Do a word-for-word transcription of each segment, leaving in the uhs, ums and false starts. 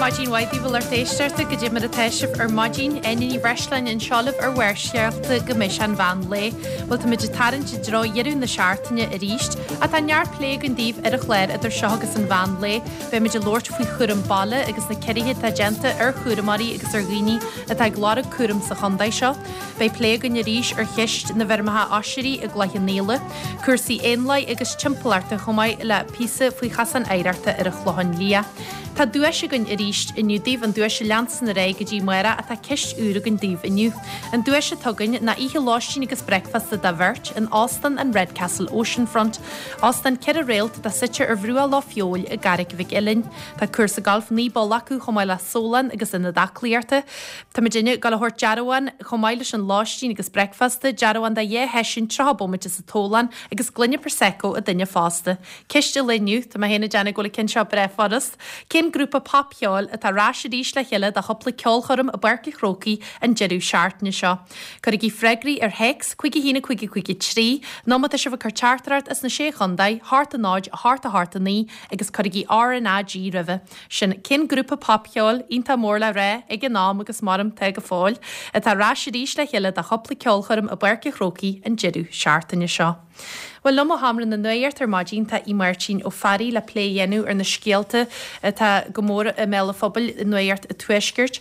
Maidin mhaith daoibh a lucht éisteachta goidé mar atá sibh ar maidin Áine Ní Bhreisleáin anseo libh ar Bharrscéalta go mbeidh sé an mheán lae. Bhuel táimid ag tarraingt i dtreo dheireadh na seachtaine arís ach tá neart plé againn daoibh ar an chlár idir seo agus an mheán lae. Beimid ag labhairt faoi chúram baile agus na ciorruithe atá déanta ar chúramóirí agus ar dhaoine atá ag lorg cúram sa chontae seo. Beidh plé againn arís ar cheist na bhfeirmeacha oisrí i gCloich Cheann Fhaola, cúrsaí éanlaith agus timpeallachta chomh maith le píosa faoi chosán oidhreachta ar an Chlochán Liath. Tá duais againn arís inniu daoibh an duais a leanas ar aghaidh go dtí amárach ach tá ceist úr againn daoibh inniu. An duais atá againn ná oíche lóistín agus bricfeasta do bheirt in Óstán an Redcastle Oceanfront, Óstán ceithre réalt atá suite ar bhruach Loch Feabhail i gCarraig Mhic Uilinn. Tá cúrsa galf naoi bpoll acu chomh maith le sólann agus ionad aclaíochta. Tá muidinne ag gabháil a thabhairt dearbhán chomh maith leis an lóistín agus bricfeasta, dearbhán do dhá sheisiún tríocha bomaite sa tólán agus gloine Prosecco ag duine fásta. Ceist an lae inniu Tá mé féin ag déanamh go bhfuil an ceann seo breá furast. Cén grúpa popcheoil atá ar ais arís le chéile do chúpla ceolchoirm i bPáirc an Chrócaigh an deireadh seachtaine seo. Cuirigí freagraí ar théacs cúig a haon a cúig a cúig a trí, nó má tá sibh ag cur teachtaireacht as na sé chontae, hocht a náid, a hocht a hocht a naoi agus cuirigí RnaG roimhe. Sin cén grúpa popcheoil iontach mór le rá ag an am agus mar atá go fóill, atá ar ais arís le chéile do chúpla ceolchoirm i bPáirc an Chrócaigh an deireadh seachtaine seo. Well liom ó Sheomra na Nuachta ar maidin tá í Máirtín Ó Fearraigh le plé a dhéanamh ar na scéalta atá go mór i mbéal an phobail i Nuacht an Tuaiscirt.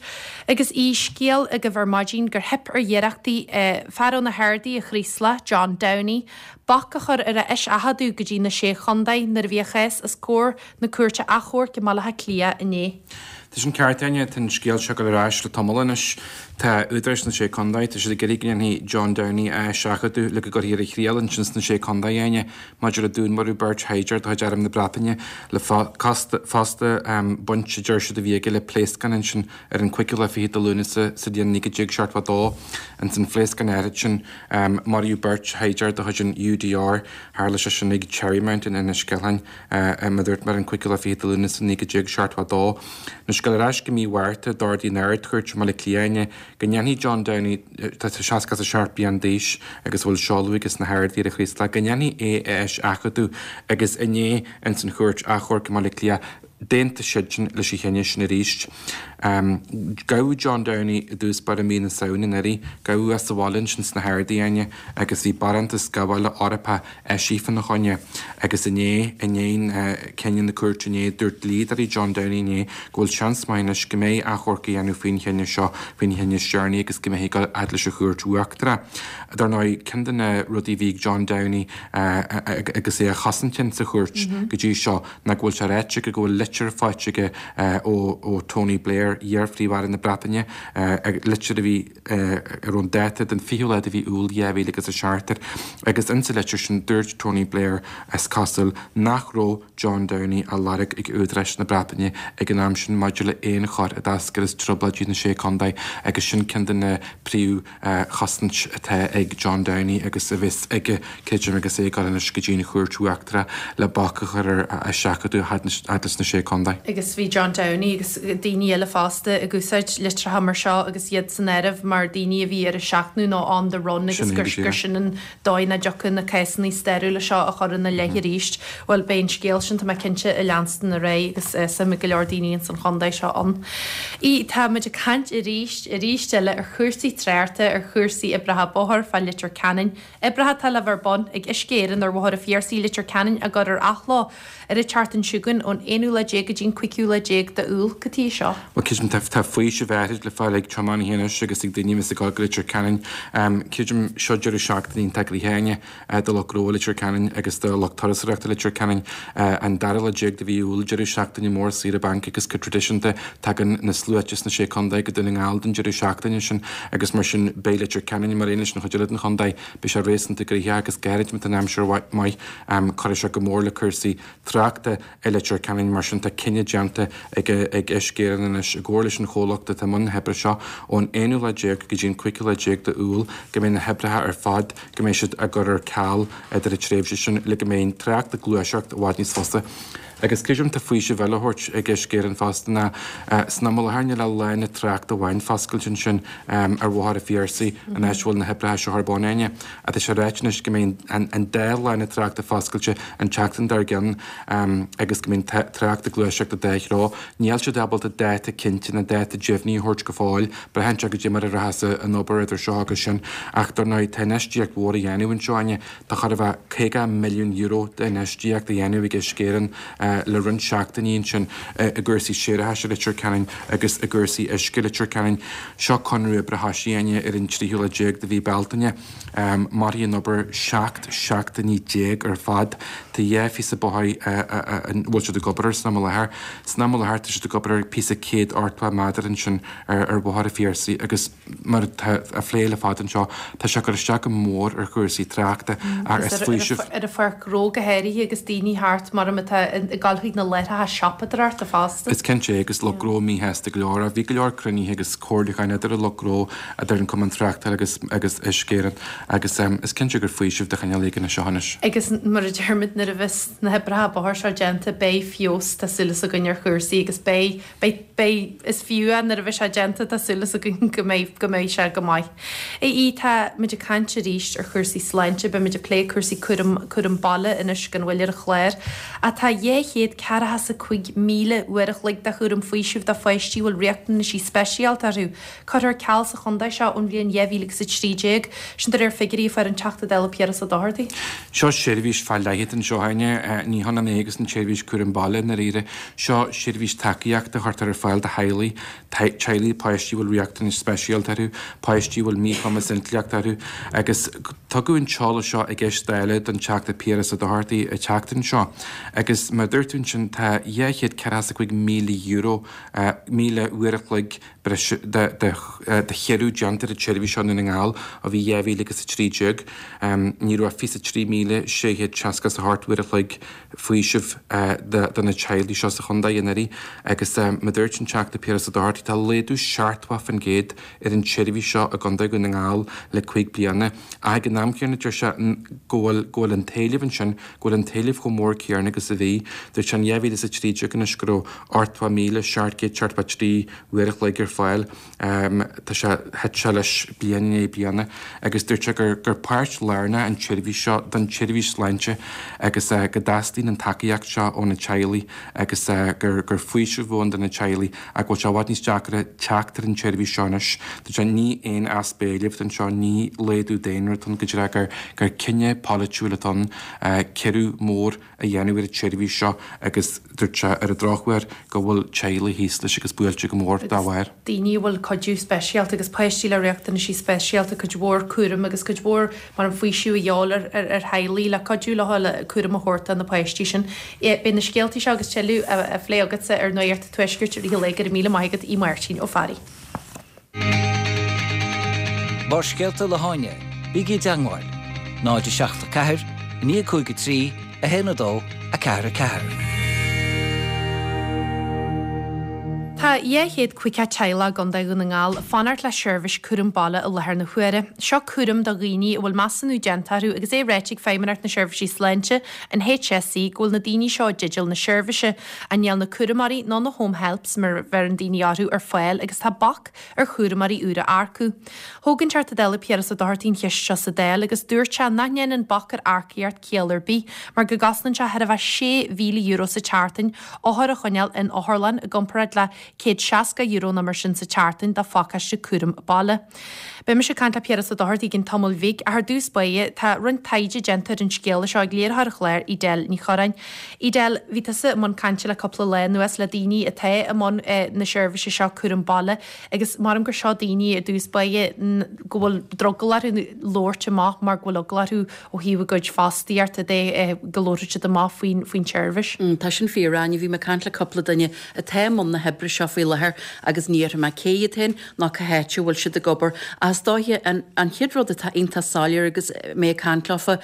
Agus í scéal agaibh ar maidin gur theip ar iarrachtaí fear ó na hArdaí a Chraoslach, John Downey, bac a chur ar a eiseachadadh go dtí na sé chontae nuair a bhí a chás os comhair na cúirte achomhairc i mBaile Átha Cliath inné. Tá sin ceart Áine tá an scéal seo ag dul ar ais le tamall anois Tá údaráis na sé chontae tá siad ag iarraidh go ndéanfaí John Downey a eiseachadadh le go gcuirfí ar a thriail ansin sna sé chontae Áine maidir le dúnmharú beirt shaighdiúir de chuid arm na Breataine le fosta baint a deir siad a bhí aige le pléascán ansin ar an cúigiú lá fiche de Lúnasa sa bhliain naoi déag seachtó dó ansin phléascán áirid sin maraíodh beirt shaighdiúir de chuid an UDR tharla sé sin ag Cherrymount in Inis Ceithleann mar dúirt mé ar an cúigiú lá fiche de Lúnasa naoi déag seachtó dó. Na scéal ar ais go mí Mhárta d'ordaigh an Ard-Chúirt i mBaile Átha Cliath go ndéanfaí John Downey tá seasca a seacht bliain d'aois agus bhfuil seoladh aige sna hArdaí ar an Chraoslach go ndéanfaí é a eiseachadadh agus inné ins an chúirt achomhairc i mBaile Átha Cliath d'aontaigh siad sin leis an chinneadh sin arís. Um, Gabhadh John Downey i dtús báire mí na Samhna anuraidh, gabhadh as sa bhaile ansin sna hArdaí Áine agus bhí barántas gabhála Eorpach eisithe fána choinne agus inné inné uh, cinneadh na cúirte inné dúirt dlíodóirí John Downey inné go bhfuil seans maith anois go mbeidh achomharc á dhéanamh faoin chinneadh seo faoin chinneadh is deireanaí agus go mbeidh ag dul fhad leis an chúirt uachtarach. Dar ndóigh ceann de na rudaí a bhí ag John Downey uh, agus é a chosaint sa chúirt mm -hmm. go dtí seo ná go bhfuil sé ráite go bhfuil litir faighte aige uh, ó, ó Tony Blair iar-Phríomh-Aire na Breataine uh, litir a bhí uh, ar an dáta den fichiú lá de mhí Iúil dhá mhíle agus a seacht agus insa litir sin dúirt Tony Blair is cosúil nach raibh John Downey á lorg ag údaráis na Breataine ag an am sin maidir le aon chor a d'eascair as trioblóidí na sé chontae agus sin ceann de na príomh uh, chosaint atá ag John Downey agus a bheas aige creidim agus é ag dul anois go dtí an chúirt uachtarach le bac a chur ar a eiseachadadh fhad leis na sé chontae. Agus bhí John Downey agus daoine eile fosta ag úsáid litreacha mar seo agus iad san áireamh mar daoine a bhí ar a seachnadh nó on the run agus gur gur sin an dóigh nach dtiocfadh na cásanna stairiúla seo a chur ina leith arís. Well beidh an scéal sin tá mé cinnte ag leanstan ar aghaidh agus uh, suim go leor daoine in san chontae seo ann. I tá muid ag caint arís arís eile ar chúrsaí tráchta ar chúrsaí oibreacha bóthair fá Leitir Ceanainn. Oibreacha atá le bheith ar bun ag Uisce Éireann ar Bhóthar an Phiarsaigh Leitir Ceanainn á gcur ar athló ar an tseachtain seo chugainn ón aonú lá déag go dtí an cúigiú lá déag d'Iúil go dtí seo. Well creidim tá tá faoiseamh áirid le fáil ag tiománaithe anois agus ag daoine ag dul go Leitir Ceanainn. Um, Creidim seo deireadh seachtaine iontach gnoitheach do lucht gnó Leitir Ceanainn agus do lucht turasóireachta Leitir Ceanainn an dara lá déag de mhí Iúil deireadh seachtaine mór saoire bainc agus go traidisiúnta tagann na sluaite sna sé chontae go Dún na nGall don deireadh seachtaine sin agus mar sin beidh Leitir Ceanainn mar aon leis an chuid eile den chontae beidh sé réasúnta gnoitheach agus gairid an aimsir maith um, cuirfidh sé go mór le cúrsaí tráchta i Leitir Ceanainn mar sin tá cinneadh déanta ag ag Uisce Éireann anois i gcomhar leis an chomhlacht atá i mbun na hoibre seo ón aonú lá déag go dtí an cúigiú lá déag d'Iúil go mbeidh na hoibreacha ar fad go mbeidh siad á gcur ar ceal idir an tréimhse sin le go mbeidh an trácht ag gluaiseacht i bhfad níos fusa. Agus creidim tá faoiseamh eile á thabhairt ag Uisce Éireann fosta ná san am i láthair níl ach lána tráchta amháin foscailte ansin ar Bhóthar an Phiarsaigh an áit a bhfuil na hoibreacha seo ar bun Áine. Ach tá sé ráite anois go mbeidh an dá lána tráchta foscailte an tseachtain dár gcionn agus go mbeidh an trácht ag gluaiseacht i dá threo. Níl siad ábalta dáta cinnte nó dáta deimhnithe a thabhairt go fóill. Braitheann sé goidé mar a rachas an obair idir seo agus sin. Ach dar ndóigh tá infheistíocht mhór á dhéanamh anseo Áine. Tá chóir a bheith caoga milliún euro d'infheistíocht á dhéanamh ag Uisce Éireann le roinnt seachtainí ansin i gcúrsaí séarachais i Leitir Ceanainn agus i gcúrsaí uisce i Leitir Ceanainn. Seo conradh oibre a thosaigh Áine ar an tríú lá déag de mhí Bealtaine. Mairfidh an obair seacht seachtainí déag ar fad. Tá dhá phíosa bóthair a bhfuil siad ag obair air san am i láthair. San am i láthair tá siad ag obair ar phíosa céad ochtó méadar ansin ar Bhóthar an Phiarsaigh agus mar atá á phlé le fada anseo tá sé ag cur isteach go mór ar chúrsaí tráchta ach is faoiseamh. Ar an pháirc ghnó go háirithe agus daoine thart mar atá ag dul chuig na láithreacha siopadóireachta fosta. Is cinnte é agus lucht gnó míshásta go leor. Bhí go leor cruinnithe agus comhairliúcháin idir an lucht gnó, idir an Cumann Tráchtála agus agus Uisce Éireann agus is cinnte gur faoiseamh de chineál éigin é seo anois. Agus mar a deir muid nuair a bheas na hoibreacha bóthair seo déanta beidh feabhas tá súil againn ar chúrsaí agus beidh beidh beidh is fiú é nuair a bheidh sé déanta tá súil againn go mbeidh go mbeidh sé go maith. Í tá muid ag caint arís ar chúrsaí sláinte, beidh muid ag plé cúrsaí cúram cúram baile anois gan mhoill ar an chlár. Tá dhá chéad ceathracha is a cúig míle uair a chloig de chúram faoisimh do pháistí a bhfuil riachtanaisí speisialta orthu. Curtha ar ceal sa chontae seo ón bhliain dhá mhíle agus a trí déag, sin de réir figiúirí a fuair an Teachta Dála Piaras Ó Dochartaigh. Seo seirbhís fá leith anseo Áine, ní hionann é agus an tseirbhís cúram baile i ndáiríre. Seo seirbhís tacaíochta a chuirtear ar fáil do theaghlaigh, teaghlaigh páistí a bhfuil riachtanais speisialta orthu, páistí a bhfuil míchumas intleachta orthu agus tugadh an t-eolas seo i gceist Dála don Teachta Piaras Ó Dochartaigh an tseachtain seo agus mar a dúirt tú ansin tá dhá chéad ceathracha is a cúig míle euro, míle uair a chloig breise de de chiorrú déanta ar an tseirbhís seo i nDún na nGall ó bhí dhá mhíle agus a trí déag. Ní raibh ach fiche a trí míle sé chéad seasca is a hocht uair a chloig faoisimh do na teaghlaigh seo sa chontae anuraidh agus mar a dúirt an Teachta Piaras Ó Dochartaigh tá laghdú seachtó faoin gcéad ar an tseirbhís seo i gContae Dhún na nGall le cúig bliana. Ach ag an am céanna deir sé go bhfuil go bhfuil an t-éileamh ansin, go bhfuil an t-éileamh chomh mór céanna agus a bhí. Dúirt sé in dhá mhíle is a trí déag anois go raibh ochtó míle seacht gcéad seachtó a trí uair a chloig ar fáil. Tá sé, thit sé leis bliain i ndiaidh bliana agus dúirt sé gur gur páirt lárnach an tseirbhís seo don tseirbhís sláinte agus go dteastaíonn an tacaíocht seo ó na teaghlaigh agus gur gur faoiseamh ann do na teaghlaigh ach go bhfuil sé i bhfad níos deacra teacht ar an tseirbhís seo anois. Dúirt sé ní aon easpa éilimh atá anseo, ní laghdú daonra atá ann, go díreach gur gur cinneadh polaitiúil atá ann ciorrú mór a dhéanamh ar an tseirbhís seo agus dúirt sé ar an drochuair go bhfuil teaghlaigh thíos leis agus buailte go mór dá bharr. daoine a bhfuil cuidiú speisialta agus páistí le riachtanaisí speisialta, cuid mhór cúraim agus cuid mhór mar an faoiseamh a dhíobháil ar ar theaghlaigh le cuidiú leo le cúram a thabhairt do na páistí sin. Beidh na scéaltaí seo agus tuilleadh á phlé agatsa ar Nuacht an Tuaiscirt i rith an lae. Go raibh míle maith agat, Aodh Máirtín Ó Fearraigh. Barrscéalta le hÁine, bígí i dteagmháil, náid a seacht a ceathair, a naoi a cúig a trí, a haon a dó, a ceathair a ceathair. Tá dhá chéad caoga teaghlach i gContae Dhún na nGall ag fanacht le seirbhís cúram baile i láthair na huaire. Seo cúram do dhaoine a bhfuil measúnú déanta orthu agus é ráite ag Feidhmeannacht na Seirbhísí Sláinte, an H S E, go bhfuil na daoine seo i dteideal na seirbhíse. Ach níl na cúramóirí nó na home helps, mar a bheireann daoine orthu, ar fáil agus tá bac ar chúramóirí úra a earcú. Thóg an Teachta Dála Piaras Ó Dochartaigh an cheist seo sa Dáil agus dúirt sé nach ndéanann bac ar earcaíocht ciall ar bith mar go gcosnaíonn sé thar a bheith sé mhíle euro sa tseachtain othar a choinneáil in otharlann i gcomparáid le céad seasca euro nó mar sin sa tseachtain do phacáiste cúram baile. Beidh mise ag caint le Piaras Ó Dochartaigh i gcionn tamaill bhig ach ar dtús báire tá roinnt taighde déanta ar an scéala seo ag léiritheoir an chláir Edel Ní Chorráin. Edel, bhí tusa i mbun cainte le cúpla lá anuas le daoine atá i mbun na seirbhíse seo cúram baile agus maram gur seo daoine i dtús báire go bhfuil drogall orthu labhairt amach mar go bhfuil eagla orthu ó thaobh a gcuid fostaíochta de go labharfaidh siad amach faoin faoin tseirbhís. Tá sin fíor, Áine. Bhí mé ag caint le cúpla duine atá i mbun na hoibre seo. seo faoi láthair agus ní déarfaidh mé cé hiad féin ná cá háit a bhfuil siad ag obair. Ach is dóiche an an chéad rud atá iontach soiléir agus mé ag caint leofa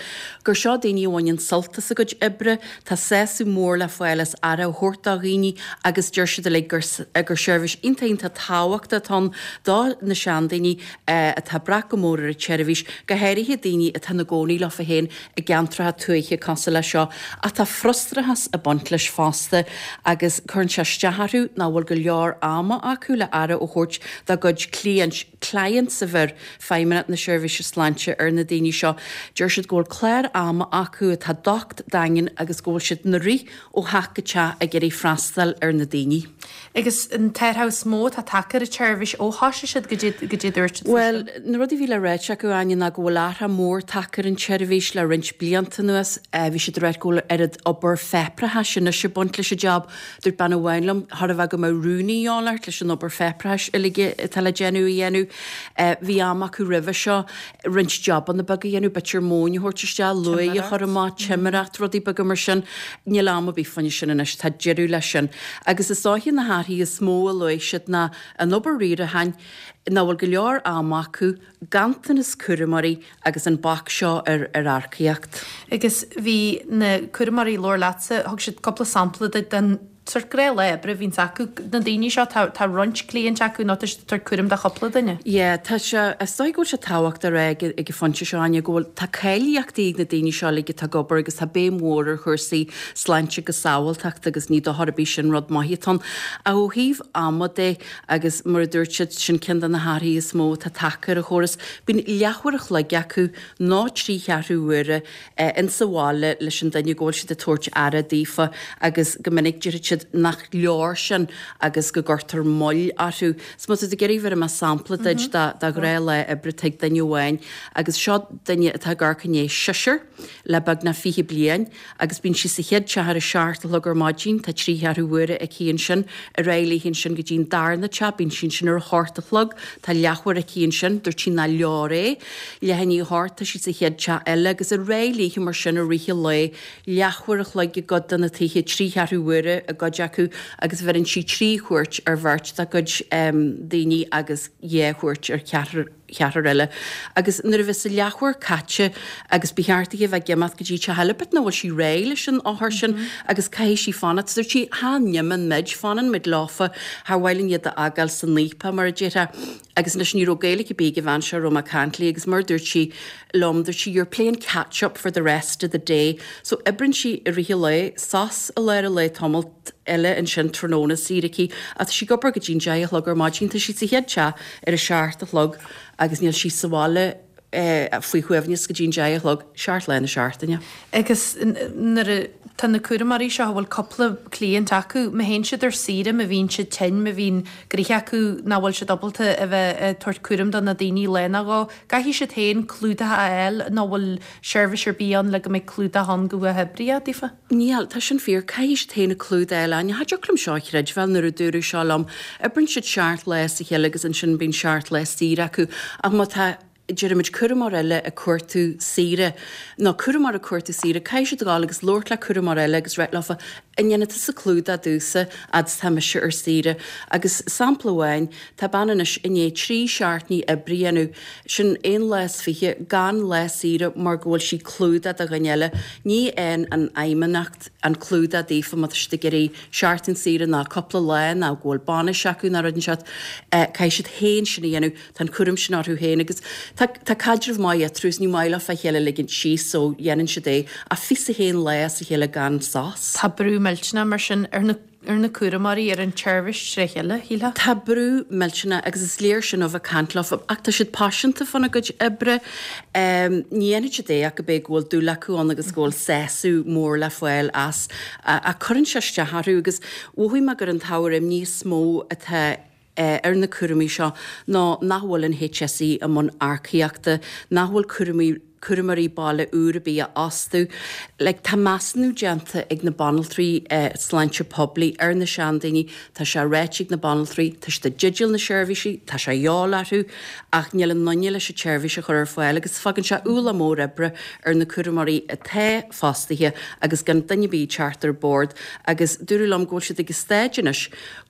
gur seo daoine a bhaineann sult as a gcuid oibre, tá sásamh mór le fáil as aire a thabhairt do dhaoine agus deir siad uilig gur gur seirbhís iontach iontach tábhachtach atá ann do na seandaoine atá ag brath go mór ar an tseirbhís, go háirithe daoine atá ina gcónaí leofa féin i gceantracha tuaithe cosúil leis seo. Ach tá frustrachas ag baint leis fosta agus cuireann sé isteach orthu nach bhfuil go leor ama acu le aire a thabhairt dá gcuid cliaint, clients a bheir Feidhmeannacht na Seirbhíse Sláinte ar na daoine seo. Deir siad go bhfuil clár ama acu atá docht daingean agus go bhfuil siad ina rith ó theach go teach ag iarraidh freastal ar na daoine. Agus an t-athrú is mó atá tagtha ar an tseirbhís ó thosaigh siad go dtí go dtí dúirt siad faoi Bhuel, sin? na rudaí a bhí le ráit acu, Áine, ná go bhfuil athrú mór tagtha ar an tseirbhís le roinnt blianta anuas. Bhí siad ag ráit go bhfuil oiread obair pháipéarachais anois ag baint leis an jab. Dúirt bean amháin liom, chóir a bheith go mbeadh rúnaí de dhíobháil ort leis an obair pháipéarachais uilig atá le déanamh a dhéanamh. Bhí am acu roimhe seo roinnt jabanna beaga a dhéanamh, b'fhéidir móin a thabhairt isteach, luaith a chur amach, timireacht, rudaí beaga mar sin. Níl am ar bith fá choinne sin anois, tá deireadh leis sin. Agus is dóiche na hathruithe is mó a luaigh siad ná an obair riaracháin, nach bhfuil go leor ama acu, ganntanas cúramóirí agus an bac seo ar ar earcaíocht. Agus bhí na cúramóirí a labhair leatsa, thug siad cúpla sampla duit den sórt gnáthlá oibre a bhíonns acu, na daoine seo, tá tá roinnt cliaint acu nó tá siad ag tabhairt cúram do chúpla duine. Yeah, tá sé, is dóigh go bhfuil sé tábhachtach a rá ag ag an phointe seo, Áine, go bhfuil, tá cáilíochtaí ag na daoine seo uilig atá ag obair agus tá béim mhór ar chúrsaí sláinte agus sábháilteachta agus ní dochar ar bith sin, rud maith atá ann. Ach ó thaobh ama de, agus mar a dúirt siad, sin ceann de na hathruithe is mó atá tagtha ar an chóras, bíonn leathuair a chloig acu nó trí cheathrú uaire insa bhaile leis an duine go bhfuil siad ag tabhairt aire daofa agus go minic déarfaidh siad nach leor sin agus go gcuirtear moill orthu. So má tá tú ag iarraidh bhéarfaidh mé sampla duit de ghnáthlá oibre tigh duine amháin agus seo duine atá ag amharc i ndiaidh seisear le beagnach fiche bliain agus bíonn sí sa chéad teach ar a seacht a chlog ar maidin, tá trí cheathrú uaire aici ansin, ar aghaidh léi ansin go dtí an darna teach, bíonn sí ansin ar a hocht a chlog, tá leathuair aici ansin, dúirt sí nach leor é, leath i ndiaidh a hocht tá sí sa chéad teach eile agus ar aghaidh léi mar sin i rith an lae, leathuair a chloig i gcuid de na tithe, trí cheathrú uaire i gcuid acu agus bheireann sí trí chuairt ar bheirt dá cuid daoine agus dhá chuairt ar cheathrar cheathrar eile. Agus nuair a bheas a leathuair caite agus ba cheart di a bheith ag imeacht go dtí teach eile, but nach bhfuil sí réidh leis an othar sin agus caithfidh sí fanacht. Dúirt sí, Cha n-imíonn muid, fanann muid leofa, char mhaith linn iad a fhágáil san fhaopach, mar a déarfá. Agus anois ní raibh Gaeilge ar bith ag an bhean seo a raibh mé ag caint léi agus mar a dúirt sí liom, dúirt sí, you're playing catch up for the rest of the day. So oibríonn sí i rith an lae, sos i lár an lae tamall eile ansin tráthnóna, saoire aici, ach tá sí ag obair go dtí'n deich a chlog ar maidin, tá sí sa chéad teach ar a seacht a chlog agus níl sí sa bhaile faoi shuaimhneas go dtí'n deich a chlog, seacht lá na seachtaine. Agus nuair a tá na cúramóirí seo a bhfuil cúpla cliant acu, má théann siad ar saoire, má bhíonn siad tinn, má bhíonn gnoithe acu nach bhfuil siad ábalta a bheith ag tabhairt cúram do na daoine lá nó dhó, caithfidh siad féin clúdach a fháil nó bhfuil seirbhís ar bith ann le go mbeidh clúdach ann go huathoibríoch daofa? Níl, tá sin fíor. Caithfidh siad féin an clúdach a fháil. Cha dtiocfadh liom seo a chreidbheáil nuair a dúradh seo liom. Oibríonn siad seacht lá as a chéile agus ansin bíonn seacht lá saoire acu. Ach má tá, deirimid, cúramóir eile ag cuartú saoire, nó cúramóir ag cuartú saoire, caithfidh siad a ghabháil agus labhairt le cúramóir eile agus ráit leofa, an ndéanfaidh tusa clúdach domhsa fhad is tá mise ar saoire? Agus sampla amháin, tá bean anois i ndiaidh trí seachtainí oibre a dhéanamh, sin aon lá is fiche, gan lá saoire mar go bhfuil sí clúdach do dhuine eile. Ní fhaigheann an fheidhmeannacht an clúdach daofa má tá siad ag iarraidh seachtain saoire ná cúpla lá ná go bhfuil bainis acu ná rud inteacht. Caithfidh siad féin sin a dhéanamh. Tá an cúram sin orthu féin agus tá tá caidreamh maith eatarthu is ní maith leofa a chéile a ligint síos so dhéanann siad é ach fiche a haon lá as a chéile gan sos. Tá brú millteanach mar sin ar na ar na cúramóirí, ar an tseirbhís tré chéile, shílfeá. Tá brú millteanach agus is léir sin ó bheith ag caint leofa ach tá siad paiseanta fána gcuid oibre. Ní dhéanfaidh siad é ach go b'é go bhfuil dúil acu ann agus go bhfuil sásamh mór le fáil as. Ach cuireann sé isteach orthu agus mhothaigh mé gur an t-ábhar imní is mó atá ar na cúramóirí seo ná nach bhfuil an HSE i mbun earcaíochta, nach bhfuil cúramóirí cúramóirí baile úr ar bith a fhostú. Like, tá measúnú déanta ag na banaltraí eh, sláinte poiblí ar na seandaoine, tá sé ráite ag na banaltraí, tá siad i dteideal na seirbhísí, tá sé de dhíobháil orthu, ach níl a nduine leis an tseirbhís a chur ar fáil agus fágann sé ualach mór oibre ar na cúramóirí atá fostaithe agus gan duine ar bith ag teacht ar bord agus dúradh liom go bhfuil siad ag an staid anois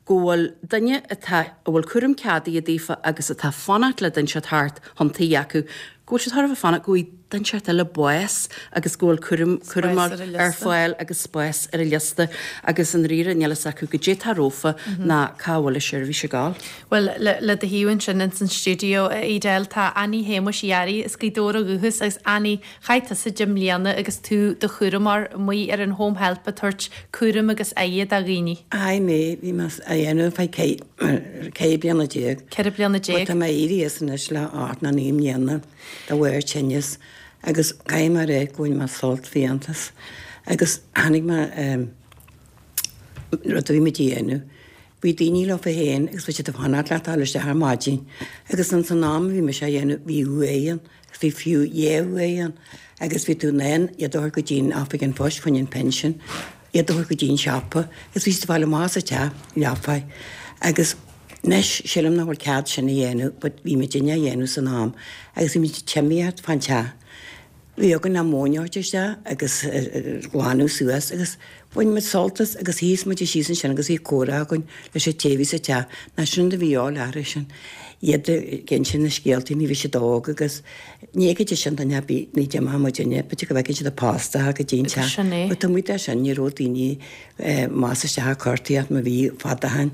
go bhfuil duine atá a bhfuil cúram ceadaithe daofa agus atá fanacht le duine thart chun tí acu, go bhfuil siad thar a bheith fanacht go bhfaighidh duine inteacht eile bás agus go bhfuil cúram cúram ar a ar fáil agus spás ar a liosta agus an ríre níl a fhios acu goidé atá rompu ná cá bhfuil a seirbhís ag gabháil. Well le, le do thaobh ansin ins an stiúideo a Edel tá Annie Shéamuis Uí Fhearraigh as Gaoth Dobhair ó dhúchas agus Annie chaith tusa deich mbliana agus tú i do chúramóir amuigh ar an home help ag tabhairt cúram agus aire do dhaoine. Ai mé bhí mé á dhéanamh fá ceithre bliana déag. Ceithre bliana déag. Tá mé éirithe as anois le ocht nó naoi mbliana de bharr tinnis agus caithfidh mé a rá go bhfuil mé sult fiántas agus tháinig mé rud a bhí muid a dhéanamh. Bhí daoine leofa féin agus bhí siad ag fanacht leat dul isteach ar maidin agus ins an am a bhí mise á dhéanamh bhí uaigh ann agus bhí fiú dhá uaigh ann agus bhí tú in ann iad a thabhairt go dtí an oifig an phoist fá choinne an pinsean, iad a thabhairt go dtí an siopa agus bhí siad ag fáil amach as an teach leofa agus anois sílim nach bhfuil cead sin a dhéanamh but bhí muidinne á dhéanamh san am agus bhí muid ag tiomáint fán teach. Bhí againn an mhóin a thabhairt isteach agus glanadh suas agus bhain muid sult as agus shuíos muid síos ansin agus bhí comhrá againn leis an té a bhí sa teach ná sin a bhí á leathradh sin. Iad ag inse na scéaltaí nuair a bhí siad óg agus ní fheicfidís sin duine ar bith ní d'imeodh muidinne b'fhéidir go bhfeicfeadh siad an post go dtí an teach. Sin é. But taobh amuigh de sin ní raibh daoine más isteach ag cuartaíocht má bhí fada ó shin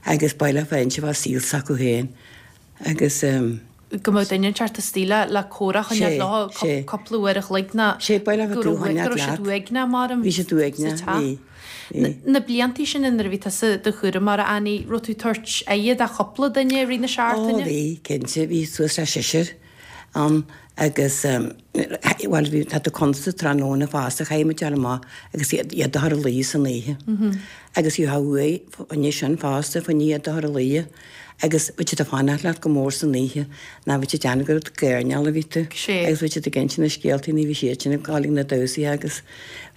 agus ba le féin fá saol s'acu féin agus go mbeadh duine inteacht istigh le le comhrá a choinneáil leo cúpla uair a chloig ná Sé ba le go tú raibh choinneáil go raibh siad leat. uaigneach mar Bhí siad uaigneach, sa teach. bhí, bhí. Na bliantaí sin nuair a bhí tusa i do chúramóir Annie, raibh tú ag tabhairt aire do chúpla duine i rith na Ó seachtaine? bhí, cinnte, bhí suas le seisear ann agus bhuel bhí tá tú consta tráthnóna fosta chaith muid dul amach agus iad iad a chur a luí san oíche. Agus bhí uaidh fá choinne sin fosta fá choinne iad a chur a luí agus bhí siad ag fanacht leat go mór san oíche ná bhí siad ag déanamh gur ag gairneáil a bhí tú. Sé. Agus bhí siad ag inse na scéaltaí ní bhí siad sin ag gabháil ag na damhsaithe agus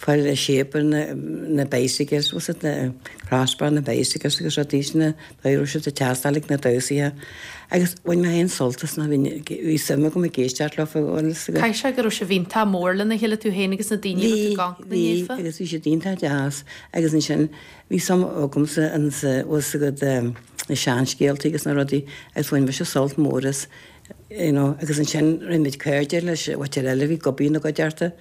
fáil shape ar na na bicycles was it na crossbar na bicycles agus rudaí sin na raibh siad ag teastáil ag na damhsaithe. Agus bhain mé féin sult as ná bhí bhí suim agam ag éisteacht leo agus Caithfidh sé go raibh sibh iontach mór lena chéile tú féin agus na daoine a Bhí raibh tú ag bhí naofa. agus bhí siad iontach deas agus ansin bhí suim agamsa insa was agat na seanscéaltaí agus na rudaí agus bhain mise sult mór as you know, agus ansin rinne muid cairde leis an mhuintir eile bhí gobaí na gcuideachta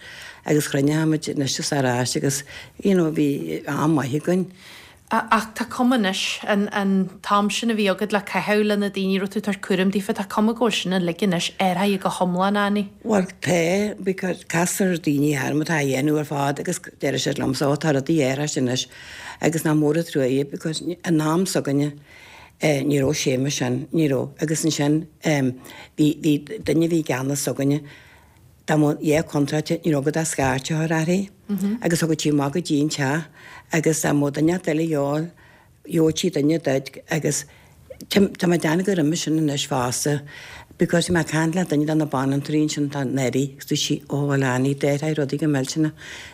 agus chruinnigh muid anois is ar ais agus you know, bhí am maith againn. Ach tá cuma anois an an t-am sin a bhí agat le caitheamh le na daoine raibh tú ag tabhairt cúram daofa tá cuma go bhfuil sin uilig anois athraithe go hiomlán Annie. Well tá because castar daoine orm atá á dhéanamh ar fad agus deir siad liomsa ó tá rudaí athraithe anois agus nach mór an trua é because an am s'againne eh, ní raibh sé mar sin ní raibh agus ansin um, bhí bhí duine bhí i gceannas s'againne dá mba dhá contráilte ní raibh agat ach scairt a chur uirthi agus thug sí amach go dtí an teach agus dá mba duine eile gheall gheobhadh sí duine duit agus tá mé ag déanamh gur imigh sin anois fosta because mé ag caint le duine de na banaltraí ansin tá Neri agus dúirt sí ó bhuel Annie déarfaidh rudaí go millteanach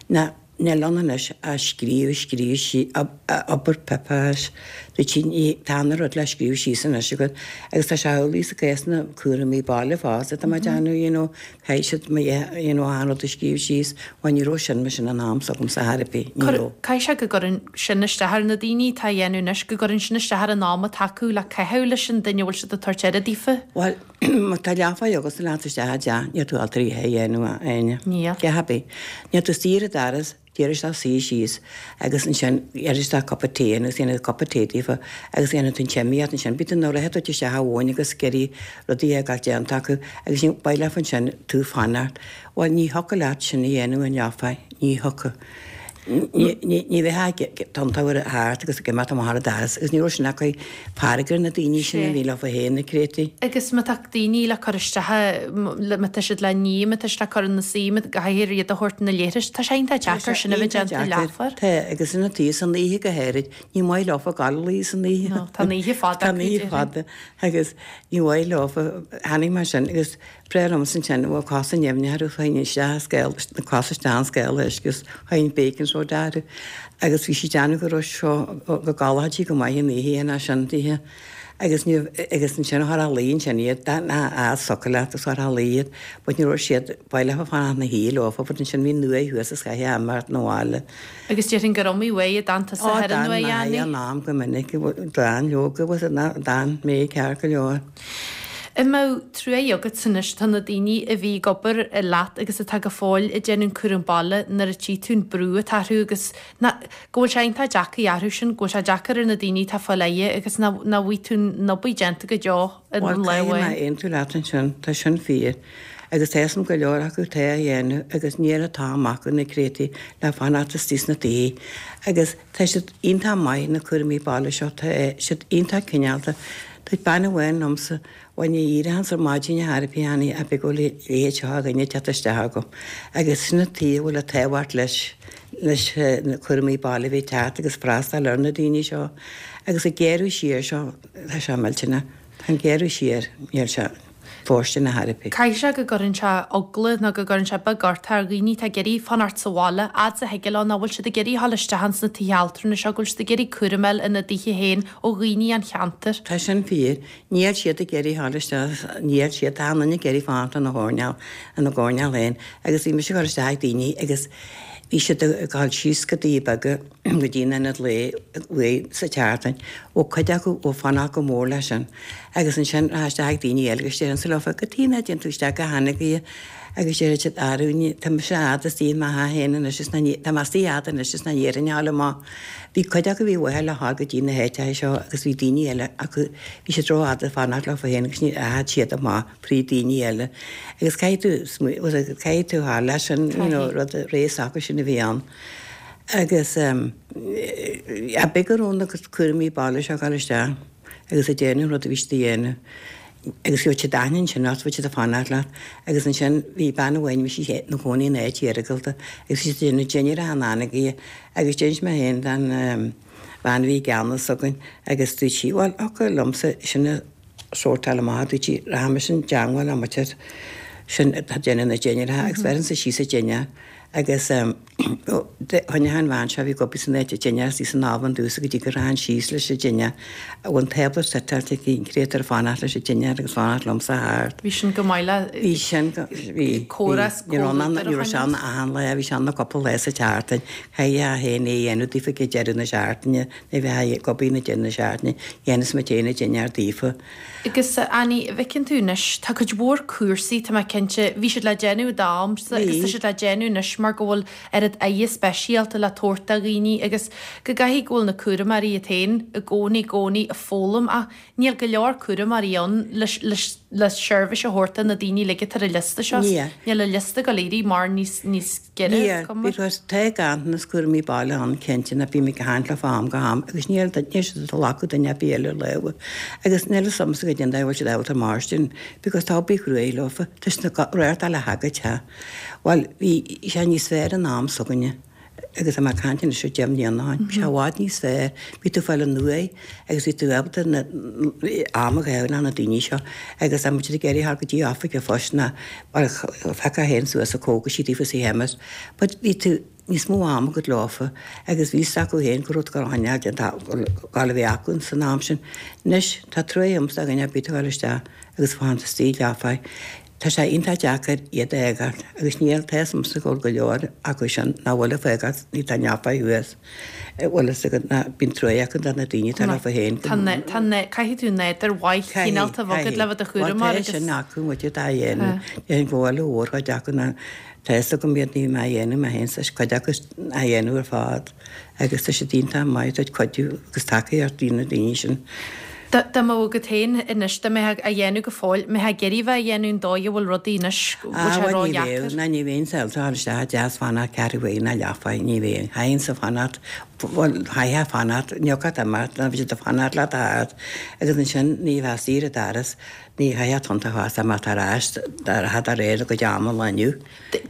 na níl ann anois a scríobh scríobh sí obair pipéis dúirt sí ní tá an rud le scríobh síos anois agat agus tá sé amhlaidh sa gcás na cúraimí baile fosta tá mé ag déanamh you know caithfidh siad mo you know an rud a scríobh síos bhuel ní raibh sin mar sin an am s'agamsa ar bith ní raibh. Caithfidh sé go gcuireann sin isteach ar na daoine atá á dhéanamh anois go gcuireann sin isteach ar an am atá acu le caitheamh leis an duine a bhfuil siad ag tabhairt aire daofa. Well má tá leathfá agus leat isteach a dteach níl tú altraí a dhéanamh aine. Níl. Cé happy. Níl tú istigh ar an doras d'iarr isteach suí síos agus ansin iarr isteach cupa tae agus dhéanamh cupa tae daofa agus dhéanamh tú an tsimíocht ansin bí tú nuair a duit isteach amháin agus gurí rudaí ag gabháil déanta acu agus sin ba leat ansin tú fanacht. Bhuel ní thiocfadh leat sin a dhéanamh an leathfá ní thiocfadh. Ní bheith tontabhar thart agus go mbeadh amach ar an doras agus ní raibh sin acu fearg ar na daoine sin a bhí leofa féin na créatúirí. Agus má tá daoine le cur isteach má tá siad le ní, má tá siad le cur ina suí, má caithfidh iad a thabhairt na leithris, tá sé iontach deacair sin a bheith déanta leathuair. Tá, agus ina taobh san oíche go háirid, ní maith leofa gabháil a luí san oíche. No, tá an oíche fada Tá an oíche fada agus ní maith leofa, tháinig mar sin agus breá liomsa ansin, bhuel cosa neamhní orthu, théinn isteach i scéal, na cosa isteach in scéal uisce agus théinn bacon soda orthu agus bhí sí ag déanamh go raibh seo go gcodlódh go maith an oíche ina sin daoithe agus ní agus ansin chuir a luí ansin iad a socair leat agus chuir a luí iad but ní raibh siad ba leofa fanacht ina shuí leofa but ansin bhí an uaigh thuas is chaithfeá imeacht 'na bhaile. Agus déarfainn gur iomaí uaigh a d'fhan tusa Ó thar an d'fhan uaigh mé Annie. an am go minic d'fhan leoga was d'fhan mé ceart go leor. An mbeadh truaí agat anois do na daoine a bhí ag obair leat agus atá go fóill ag déanamh cúram baile nuair a tchí tú an brú atá orthu agus go bhfuil sé iontach deacair orthu sin, go bhfuil sé deacair ar na daoine atá fáil aire agus nach bhfaighidh tú an obair déanta go deo in Bhuel, lá caithfidh mé amháin. aontú leat ansin, tá sin fíor. Agus tá a fhios agam go leor acu tá á dhéanamh agus níl an t-am acu na créatúirí le fanacht istigh sna tithe. Agus tá siad iontach maith na cúraimí baile seo, tá siad iontach cineálta. Tá bean amháin liomsa, bhuel ní éireochainnse ar maidin ar chor ar bith Annie ach go bhfuil a leithéid seo de dhuine ag teacht isteach agam. Agus sin an tuige a bhfuil an tábhacht leis leis na cúraimí baile a bheith ag teacht agus freastal ar na daoine seo. Agus ag géarú siar seo, tá sé millteanach. Tá an géarú siar, níl sé fóirsteanach ar chor ar bith. Caithfidh sé go gcuireann sé eagla nó go gcuireann sé beag ort ar dhaoine atá ag iarraidh fanacht sa bhaile, fhad is a thig leo, nach bhfuil siad ag iarraidh a dhul isteach ins na tithe altranais seo, go bhfuil siad ag iarraidh cúram a fháil ina dtithe féin ó dhaoine an cheantair. Tá sin fíor. Níl siad ag iarraidh a dhul isteach, níl siad, tá an duine ag iarraidh fanacht ina gcoirnéal, ina gcoirnéal féin. Agus bhí mise ag dul isteach ag daoine agus bhí siad ag dul síos go dtí beaga go dtí an ionad lae uaidh sa tseachtain. Ó cuid acu ó fanacht go mór leis sin. Agus ansin rachadh isteach ag daoine eile agus déarfainnse leofa, cad chuige nach dtéann tú isteach go hAnagaire agus déarfaidh siad arú tá mise fhad istigh i mo theach féin anois is ná tá mé istigh fhad anois is ná iarrainn a fháil amach. Bhí cuid acu bhí uathu le dhul go dtí na háiteacha seo agus bhí daoine eile acu bhí siad rófhada ag fanacht leofa féin agus ní rachaidh siad amach fríd daoine eile. Agus caithfidh tú caithfidh tú fháil leis sin you know, rud ré s'acu sin a bhí ann. Agus um, a b'é go raibh na cúraimí baile seo ag dul isteach agus ag déanamh rud a bhí siad a dhéanamh. Agus bhí siad aithne ansin ort, bhí siad ag fanacht leat. Agus ansin bhí bean amháin bhí sí ina cónaí in áit iargúlta agus bhí siad ag déanamh dinnéar an Anagaire agus d'inis mé féin don um, bhean a bhí i gceannas againn agus dúirt sí, bhuel, thiocfadh liomsa sin a sórtáil amach, dúirt sí, rachaimis i dteangmháil le muintir sin atá ag déanamh na dinnéaracha agus bheirinnse síos an dinnéar agus um, choinnigh an bhean seo a bhí ag obair san áit an dinnéar istigh san oven domhsa go dtí go rachainn síos leis an dinnéar. Bhí an tábla suiteáilte aici, an créatúr ag fanacht leis an dinnéar agus fanacht liomsa thart. Bhí sin go maith le Bhí sin go bhí córas ní raibh an- comhluadar ní a raibh sé ann achan lá, bhí sé ann na cúpla lá sa tseachtain. Chaithfeá féin é a dhéanamh daofa ag deireadh na seachtaine, ní bheith ag obair na deireadh na seachtaine, dhéanas muid féin an dinnéar daofa. Agus Annie, bhfeiceann tú anois, tá cuid mhór cúrsaí, tá mé cinnte, bhí siad le déanamh i d'amsa agus tá Bhí. siad le déanamh anois mar go bhfuil oiread aire speisialta le tabhairt do dhaoine agus go gcaithfidh go bhfuil na cúramóirí iad féin i gcónaí gcónaí ag foghlaim ach níl go leor cúramóirí ann leis leis le seirbhís a thabhairt do na daoine uilig atá ar an liosta seo. Níl. Níl an liosta go léirí mar níos níos giorra Níl, cuma. because tá ganntanas cúraimí baile ann cinnte na bím ag caint le am go ham agus níl níl siad ag glacadh duine ar bith eile leo. Agus níl a fhios agamsa go dtéann bhfuil siad ábalta mairstin because tá obair chruaidh leofa, tá siad na réirteáil le hagad te. Bhuel, bhí sé níos fearr an am s'againne. Agus tá mé ag caint anois deich mbliana ó shin. Bhí sé i bhfad níos fearr. Bhí tú fáil an uaidh agus bhí tú ábalta na am a ghabháil na daoine seo agus tá muid ag iarraidh thar go dtí oifig an phoist ná mar feicfeá féin suas a cógaisí daofa sa cheimist. But bhí tú níos mó am agat leofa agus bhí acu féin go rud go choinneáil den gáil a bhí acu san am sin. Anois tá truaí agamsa do dhuine ar bith a ghabháil isteach agus fanacht istigh leofa. Tá sé iontach deacair iad a fhágáil agus níl tá a fhios agamsa go bhfuil go leor acu sin nach bhfuil ag fágáil ní tá neamhfheidh thuas. Bhfuil fhios agat ná bíonn truaí acu do na daoine atá leofa féin. Tá tá caithfidh tú nádúr mhaith chineálta a bheith agat le bheith do chúramóir Tá agus sin acu muid atá a dhéanamh. Déarfainn go bhfuil mhórchuid acu ná tá fhios agam iad ní mé a dhéanamh mé féin sa cuid acu a dhéanamh ar fad agus tá siad iontach maith ag cuidiú agus tacaíocht do na daoine sin. Dá mbeadh agat féin anois, dá mbeifeá á dhéanamh go fóill, mbeifeá ag iarraidh bheith á dhéanamh an dóigh a bhfuil rudaí anois, go bhfuil sé ró-dheacair? Ná ní bheinn sábalta dhul isteach i dteach fanacht ceathrú uair ná leathuair, ní bheinn. Chaithfinnse fanacht, bhuel, chaithfeá fanacht, ní thiocfadh imeacht, ná bhí siad ag fanacht leat a fhad agus ansin ní bheifeá saor an doras, ní chaithfeá tonnta a fhás amach ar ais, de réir do chuid ama lá inniu.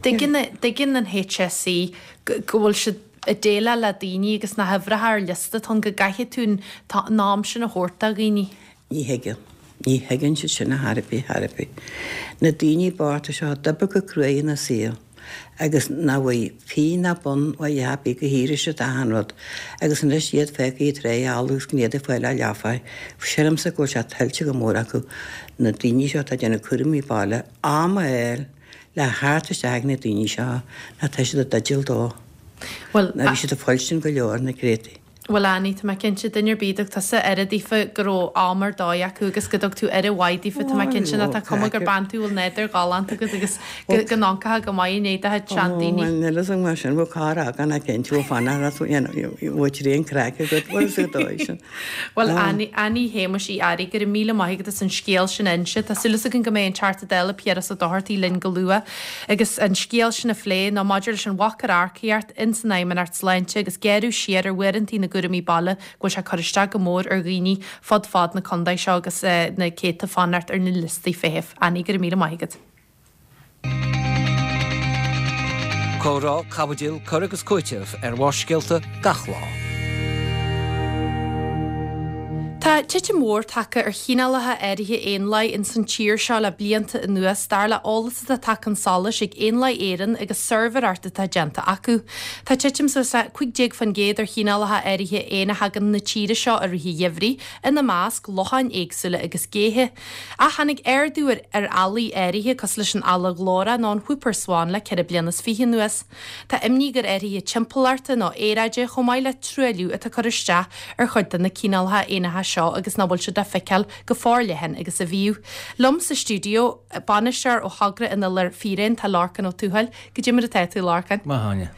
Tuigeann an HSE go bhfuil siad ag déileáil le daoine agus na huimhreacha ar liosta atá ann go gcaithfidh tú an am sin a thabhairt do dhaoine. Ní thuigeann. Ní thuigeann siad sin ar chor ar bith, chor ar bith. Na daoine bochta seo a d'oibrigh go cruaidh ina saol agus nach bhfuil pingin ná bonn uaidh a dhath ar bith go shaothraigh siad achan rud agus anois iad fágtha ag tráigh agus gan iad ag fáil a leafa. Sílimse go bhfuil sé tuillte go mór acu na daoine seo atá ag déanamh cúraimí baile am a fháil le theacht isteach ag na daoine seo ná tá siad i dteideal dó. Bhuel, Ná bhí siad ag foilsiú go leor na créataí. Bhuel, Annie, tá mé cinnte, duine ar bith a dtug tusa aire daofa go raibh am ar dóigh acu agus go dtug tú aire mhaith daofa, tá mé cinnte ná tá cuma gur bean tú a bhfuil nádúr ghalánta agat agus go go n-amharcfá go maith i ndiaidh do chuid seandaoine. Ó, bhuel, níl fhios agam mar sin, bhfuil carr agat ná cinnte, bhfuil fanacht leat, you know, bhfuil tréan craic agat, bhfuil fhios agat dóigh sin. Bhuel, Annie, Annie Shéamuis Uí Fhearraigh, go raibh míle maith agat as an scéal sin a inse. Tá súil againn go mbeidh an Teachta Dála Piaras Ó Dochartaigh linn go luath agus an scéal sin a phlé nó maidir leis an bhac ar earcaíocht ins an Fheidhmeannacht Sláinte agus géarú siar ar uaireantaí na gcúraimí baile go bhfuil sé ag cur isteach go mór ar dhaoine fud fad na contae seo agus na céadta fanacht ar na liostaí feithimh. Annie, go raibh míle maith agat. Comhrá, caibidil, cur agus cúiteamh ar Bharrscéalta gach lá. Tá titim mhór tagtha ar chineálacha áirithe éanlaith ins an tír seo le blianta anuas, dar le eolas atá tagtha chun solais ag Éanlaith Éireann agus suirbhéireacht atá déanta acu. Tá titim suas le cúig déag faoin gcéad ar chineálacha áirithe éan a thagann na tíre seo i rith an gheimhridh, ina measc, locháin éagsúla agus géithe. Ach tháinig ardú ar ar ealaí áirithe cosúil leis an eala ghlórach nó an whooper swan le ceithre bliana is fiche anuas. Tá imní gur athruithe timpeallachta nó aeráide chomh maith le truailliú atá ag cur isteach ar chuid de na cineálacha éanacha seo agus nach bhfuil siad á feiceáil go forleathan agus a bhíodh. Liom sa stiúideo, bainisteoir ó Thogra an Iolair Fíréan, tá Lorcán Ó Tuathail. Goidé mar atá tú, a Lorcáin? Maith, Áine.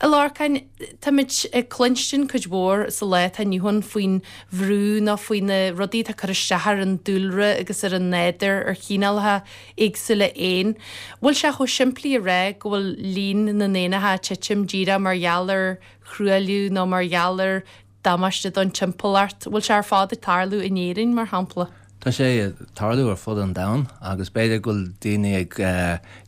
A Lorcáin, táimid ag cluinstin cuid mhór sa lá atá inniu ann faoin bhrú nó faoi na rudaí atá ag cur isteach ar an dúlra agus ar an nádúr, ar chineálacha éagsúla éan. Bhfuil sé chomh simplí a rá go bhfuil líon na n-éanacha ag titim díreach mar gheall ar thruailliú nó mar gheall ar damáiste don timpeallacht? Bhfuil sé ar fad ag tarlú in Éirinn, mar shampla? Tá sé ag tarlú ar fud an domhain agus b'fhéidir go bhfuil daoine ag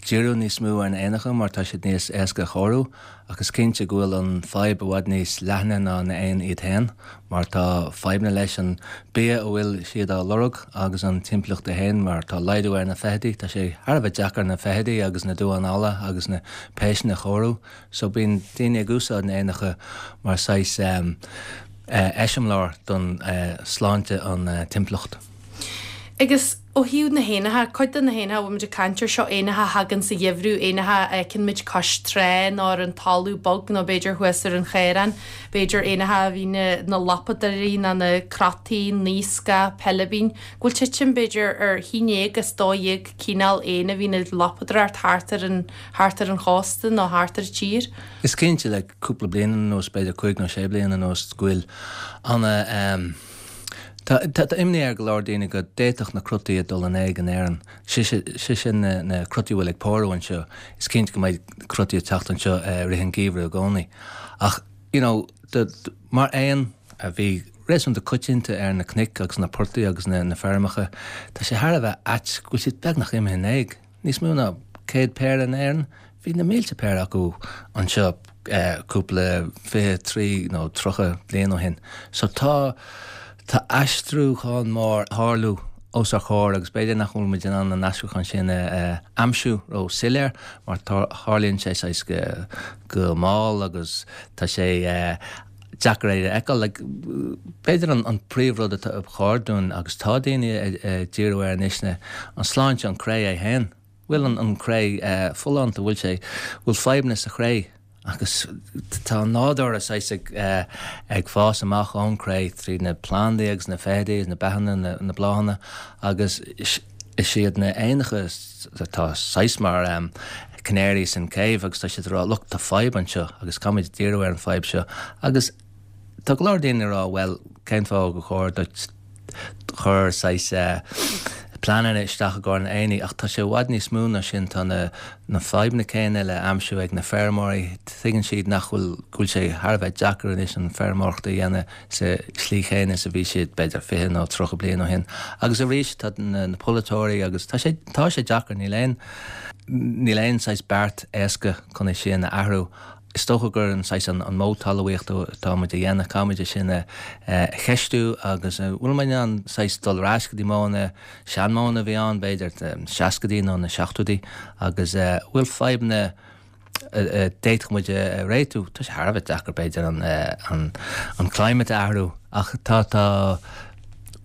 díriú níos mó ar na éanacha mar tá siad níos éasca a chóiriú ach is cinnte go bhfuil an fadhb i bhfad níos leithne ná na éin iad féin mar tá fadhbanna leis an bia a bhfuil siad á lorg agus an timpeallacht é féin mar tá laghdú ar na feithidí, tá sé thar a bheith deacair na feithidí agus na duáin alla agus na péisteanna a chóiriú so bíonn daoine ag úsáid na éanacha mar saghas eiseamláir don sláinte an timpeallacht. Agus ó thaobh na héanacha, cuid de na héanacha a bhfuil muid ag caint air seo, éanacha a thagann sa gheimhreadh, éanacha a fheiceann muid cois trá nó ar an talamh bog nó b'fhéidir thuas ar an chaorán, b'fhéidir éanacha a bhíonn ina lapadóirí nó na crotaigh, naoscach, peilibín, go bhfuil titim b'fhéidir ar haon déag as dó dhéag cineál éin a bhíonn ag lapadóireacht thart ar an thart ar an chósta nó thart ar an tír. Is cinnte le cúpla bliain anuas, b'fhéidir cúig nó sé bliana anuas, go bhfuil ana Tá tá imní ar go leor daoine go d'fhéadfadh na crotaí a dul in éag in Éirinn. Sé sin na na crotaí a bhfuil ag pórú anseo. Is cinnte go mbeidh crotaí ag teacht anseo i rith an gheimhridh i gcónaí. Ach you know mar éan a bhí réasúnta coitianta ar na cnoic agus na portaigh agus na na feirmeacha, tá sé thar a bheith ait go bhfuil siad beagnach imithe in éag. Níos mó ná céad péire in Éirinn, bhí na mílte péire acu anseo cúpla fiche, trí nó tríocha bliain ó shin. So tá tá aistriúchán mór ag tarlú os ár chomhair agus b'fhéidir nach bhfuil muid in ann an aistriúchán sin a aimsiú ró soiléir mar tarlaíonn sé saghas go go mall agus tá sé deacair é a fheiceáil. Like, b'fhéidir an an príomhrud atá ba chóir dúinn agus tá daoine ag díriú air anois ná an sláinte an cré é féin. Bhfuil an an cré folláin, bhfuil sé, bhfuil fadhbanna sa chré agus tá an nádúr saghas ag ag fás amach ón cré tríd na plandaí agus na feithidí agus na beathanna, na na bláthanna agus is iad na éanacha atá saghas mar canaries in cave agus tá siad ag rá look tá fadhb anseo agus caithfimid díriú ar an fadhb seo agus tá go leor daoine ag rá bhuel cén fáth gur chóir duit chur saghas pleananna isteach i gcomhair an aonaigh ach tá sé i bhfad níos mó ná sin, tá na na fadhbanna céanna le aimsiú ag na feirmeoirí, tuigeann siad nach bhfuil go bhfuil sé thar a bheith deacair anois an feirmeoireacht a dhéanamh sa slí chéanna is a bhí siad b'fhéidir fiche nó tríocha bliain ó shin. Agus arís tá na na polaiteoirí agus tá sé tá sé deacair, níl aon níl aon saghas beart éasca chun é sin a athrú. Is dócha gur an saghas an an modh talmhaíochta atá muid a dhéanamh, caithfidh muid é sin a cheistiú agus an bhfuil muid in ann saghas dul ar ais go dtí modhanna, seanmhodhanna a bhí ann b'fhéidir sna seascaidí nó na seachtóidí agus an bhfuil fadhbanna a d'fhéadfadh muid a réitiú. Tá sé thar a bheith deacair b'fhéidir an an an climate a athrú ach tá tá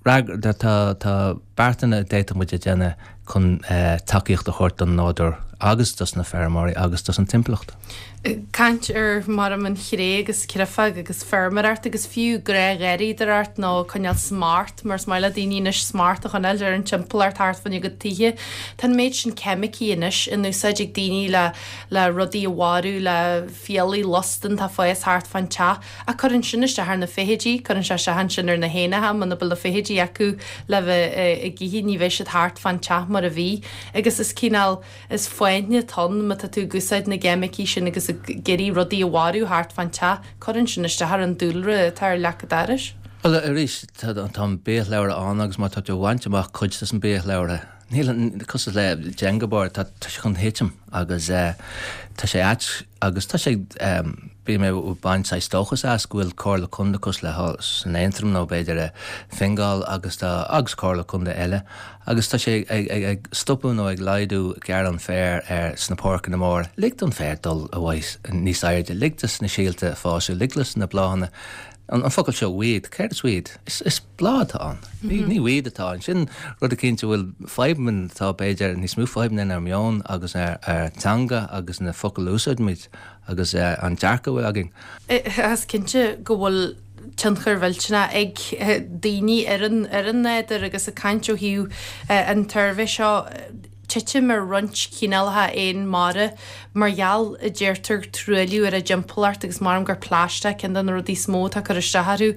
Tá tá beartanna a d'fhéadfadh muid a dhéanamh chun tacaíocht a thabhairt don nádúr agus dos na feirmeoirí agus dos an timpeallacht. Caint ar mar an chré agus creafag agus feirmeoireacht agus fiú gnáthdhgarraíodóireacht nó coinneáil smart mar is maith le daoine anois smart a choinneáil ar an timpeallacht thart fána gcuid tithe. Tá an méid sin ceimicí anois in úsáid ag daoine le le rudaí a mharú, le fiailí lustan atá ag fás thart fán teach. Ach cuireann sin isteach ar na feithidí, cuireann sé isteach ansin ar na héanacha, muna bhfuil na feithidí acu le bheith ag ithe ní bheidh siad thart fán teach mar a bhí. Agus is cineál, is fáinne atá ann má tá tú ag úsáid na gceimicí sin agus ag iarraidh rudaí a mharú thart fán teach, cuireann sin isteach ar an dúlra atá ar leac an dorais. Bhuel arís, tá an biashlabhra ann agus má tá tú ag baint amach cuid des an biashlabhra, níl an, cosúil le Jenga board, tá sé chun thitim agus tá sé ait agus tá sé, bím ag baint saghas dóchas as go bhfuil Comhairle Contae cosúil le san Aontroim nó b'fhéidir i Fingal agus tá, agus Comhairle Contae eile agus tá sé ag, ag, ag stopadh nó ag laghdú gearradh an féir ar sna páirceanna móra. Lig don féar dul i bhfad níos airde, lig dos na síolta fás, lig dos na bláthanna An focal seo weed, céard is weed? Is bláth atá ann. Ní weed atá ann. Sin rud eicínt a bhfuil fadhbanna atá b'fhéidir níos mó fadhbanna inár meon agus ar teanga agus na focail a úsáidimid agus an dearcadh a bhfuil againn. Is cinnte go bhfuil tionchar mhillteanach ag daoine ar an ar an nádúr agus ag caint ó thaobh an tsuirbhé seo, titim ar roinnt cineálacha éan mara mar gheall, a deirtear, truailliú ar a dtimpeallacht agus maram gur plaisteach ceann de na rudaí is mó atá ag cur isteach orthu.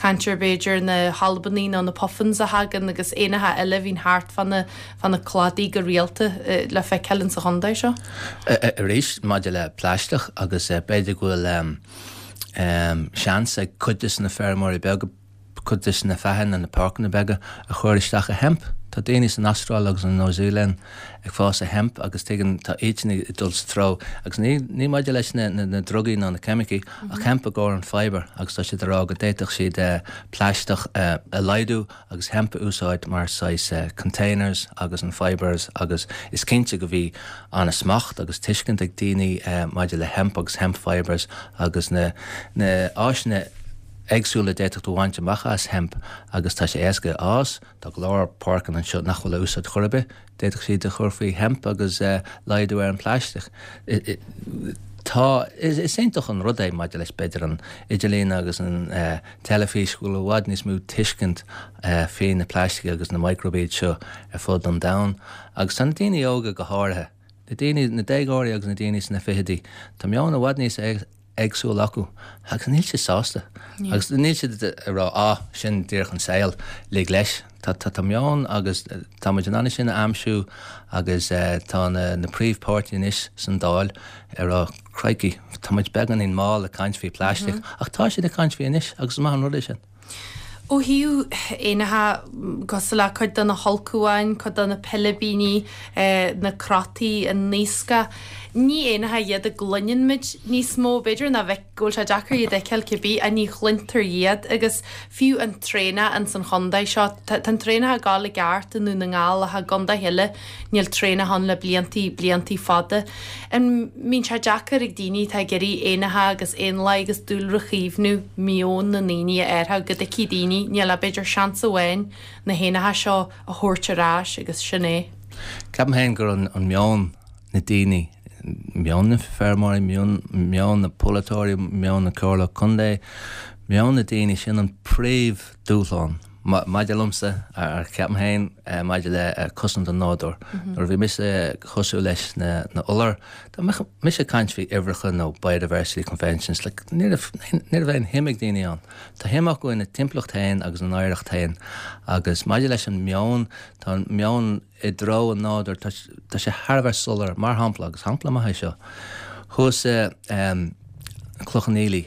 Caint ar b'fhéidir na halbannaigh nó na puffins a thagann agus éanacha eile a bhíonn thart fá na fá na cladaí go rialta le feiceáil insa chontae seo. Arís, maidir le plaisteach agus b'fhéidir go bhfuil seans ag cuid de na feirmeoirí beaga, cuid de na feathain na páirceanna beaga a chur isteach i hemp. Tá daoine san Astráil agus an Nua-Zéalainn ag fás i hemp agus tuigeann tá iadsan ag dul sa treo agus ní ní maidir leis na na drugaí ná na ceimicí ach hemp i gcomhair an fibre agus tá siad ag rá go d'fhéadfadh siad plaisteach a laghdú agus hemp a úsáid mar saghas containers agus an fibres agus is cinnte go bhí an-smacht agus tuiscint ag daoine maidir le hemp agus hemp fibres agus na na áiseanna éagsúla a d'fhéadfadh tú a bhaint amach as hemp agus tá sé éasca a fhás, tá go leor páirceanna anseo nach bhfuil á úsáid chor ar bith, d'fhéadfadh siad a chur faoi hemp agus laghdú ar an phlaisteach. Tá, is iontach an rud é maidir leis b'fhéidir an idirlíon agus an teilifís go bhfuil i bhfad níos mó tuiscint faoi na plaistigh agus na microbes seo ar fud an domhain agus tá na daoine óga go háirithe, na daoine, na déagóirí agus na daoine sna fichidí, tá meon i bhfad níos éagsúil acu agus níl siad sásta agus níl siad ag rá ah sin díreach an saol, lig leis. Tá tá meon agus tá muid in ann sin a aimsiú agus tá na na príomhpháirtithe anois san Dáil ag rá crikey tá muid beagáinín mall ag caint faoi phlaisteach ach tá siad ag caint faoi anois agus is maith an rud é sin. Ó thaobh éanacha, cosúil le cuid de na hulchabháin, cuid de na pilibíní, na crotaí, an naoscach, ní éanacha iad a gcluineann muid níos mó, b'fhéidir ná bheith, go bhfuil sé deacair iad a fheiceáil cibé, ach ní chluintear iad agus fiú an traonach ins an chontae seo, tá an traonach ag gabháil i gceart i nDún na nGall ach i gcontaetha eile níl traonach ann le bliantaí, bliantaí fada. An mbíonn sé deacair ag daoine atá ag iarraidh éanacha agus éanlaith agus dúlra a chaomhnú meon na ndaoine a athrú go dtuigfidh daoine níl ach b'fhéidir seans amháin na héanacha seo a thabhairt ar ais agus sin é. Ceapaim féin gur an an meon na daoine, meon na feirmeoirí, meon meon na polaiteoirí, meon na comhairle contae, meon na daoine sin an príomh dúshlán. Maidir liomsa, ar ceapaim féin, maidir le cosaint an nádúir. Nuair a bhí mise cosúil leis na iolair, dá mbeadh mise ag caint faoi uimhreacha nó biodiversity conventions, like, ní raibh ní raibh aon shuim ag daoine ann. Tá shuim acu ina dtimpeallacht féin agus ina n-oidhreacht féin. Agus maidir leis an meon, tá an meon i dtreo an nádúir, tá tá sé thar a bheith soiléir, mar shampla, agus shampla maith é seo, thuas i Cloich Cheann Fhaola,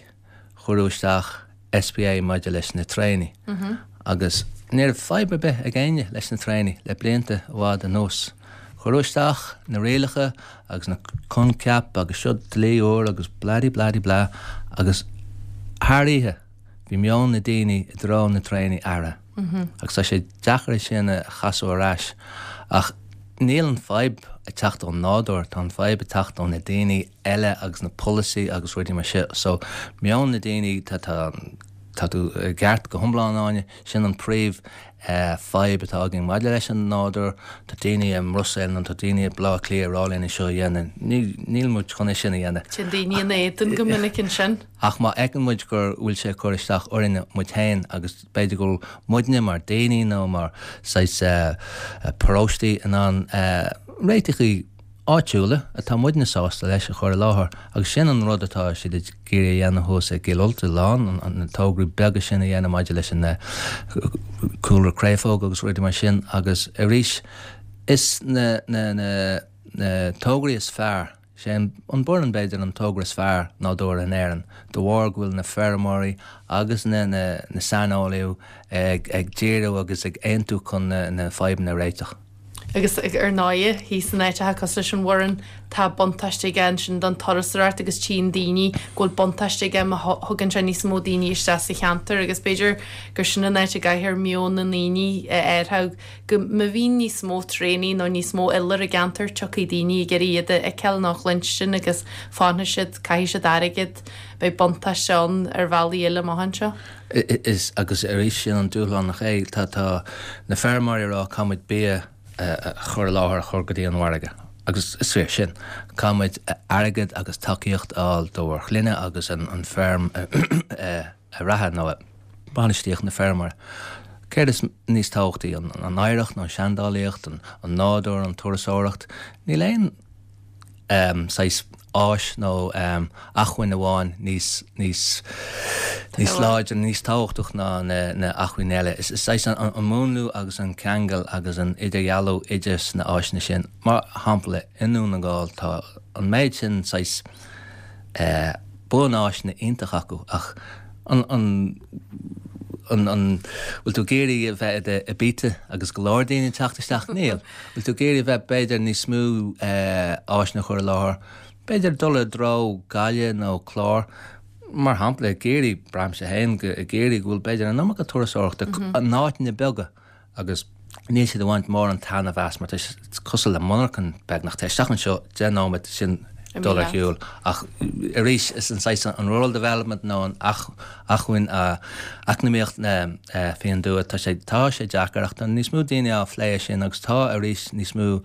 cuireadh isteach S P A maidir leis na traenaí agus ní raibh fadhb ar bith ag éinne leis na traenaí le blianta i bhfad anuas. Cuireadh isteach na rialacha agus na coincheap agus seo dlí úr agus bladi bladi blah agus thar oíche bhí meon na daoine i dtreo na traenaí athraithe. Agus tá sé deacair é sin a chasadh ar ais ach níl an fadhb ag teacht ón nádúr, tá an fadhb ag teacht ó na daoine eile agus na polasaí agus rudaí mar sin. So meon na daoine tá tá tá tú i gceart go hiomlán Áine, sin an príomh fadhb atá againn maidir leis an nádúr, tá daoine i mBruiséil nó tá daoine i Baile Átha Cliath ag rá linn é seo a dhéanamh. Níl muid chun é sin a dhéanamh. Téann daoine in éadan go minic ansin. Ach má fheiceann muid gur bhfuil sé ag cur isteach orainne muid féin agus b'fhéidir go bhfuil muidne mar daoine nó mar saghas paróistí in ann réiteachaí áitiúla atá muidne sásta leis a chur i láthair agus sin an rud atá siad ag iarraidh a dhéanamh thuas i gCill Ulta Lán, na tograí beaga sin a dhéanamh maidir leis an cúlra créafóg agus rudaí mar sin agus arís is na na na na tograí is fearr sé an Boireann b'fhéidir an togra is fearr nádúrtha in Éirinn, de bharr go bhfuil na feirmeoirí agus na na na saineolaithe ag ag díriú agus ag aontú chun na na fadhbanna a réiteach. Agus ar ndóigh thíos in áiteacha cosúil leis an Bhoireann tá buntáiste aige ansin don turasóireacht agus tchíonn daoine go bhfuil buntáiste aige má thugann sé níos mó daoine isteach sa cheantar agus b'fhéidir gur sin an áit a gcaithfear meon na ndaoine a athrú go má bhíonn níos mó traenaí nó níos mó iolar i gceantar tiocfaidh daoine ag iarraidh iad a fheiceáil nó a chluinstin agus fanfaidh siad caithfidh siad airgead beidh buntáiste ann ar bhealaí eile amach anseo. Is agus arís sin an dúshlán nach é tá tá na feirmeoirí ag rá caithfimid bia a chur i láthair a chur go dtí an mhargadh. Agus is fíor sin. Caithfimid airgead agus tacaíocht a fháil dár gclainne agus an an feirm a reatha nó bainistíocht na feirme. Céard is níos tábhachtaí an an oidhreacht nó an seandálaíocht, an an nádúr, an turasóireacht, níl aon um, saghas áis nó um, acmhainn amháin níos níos níos láidre níos tábhachtach ná na na acmhainn eile. Is is saghas an, an múnlú agus an ceangal agus an idirdhealú idir na áiseanna sin. Mar shampla i nDún na nGall tá an méid sin saghas eh, bunáiseanna iontach acu ach an an an an bhfuil tú ag iarraidh a bheith i Ibiza agus go leor daoine teacht isteach níl. Bhfuil tú ag iarraidh bheith b'fhéidir níos mó eh, áiseanna chur i láthair. B'fhéidir dul i dtreo Gaillimh nó Clár mar shampla ag iarraidh braithimse féin go ag iarraidh go bhfuil b'fhéidir an iomarca turasóireachta an áiteanna beaga agus níl siad ag baint mórán taitneamh as mar tá cosúil le monarchan beagnach tá isteach anseo deich nóiméad sin dul ar shiúl ach arís is an saghas an rural development nó an acmhainn eacnamaíocht na faoin dtuath tá sé tá sé deacair ach tá níos mó daoine á phlé sin agus tá arís níos mó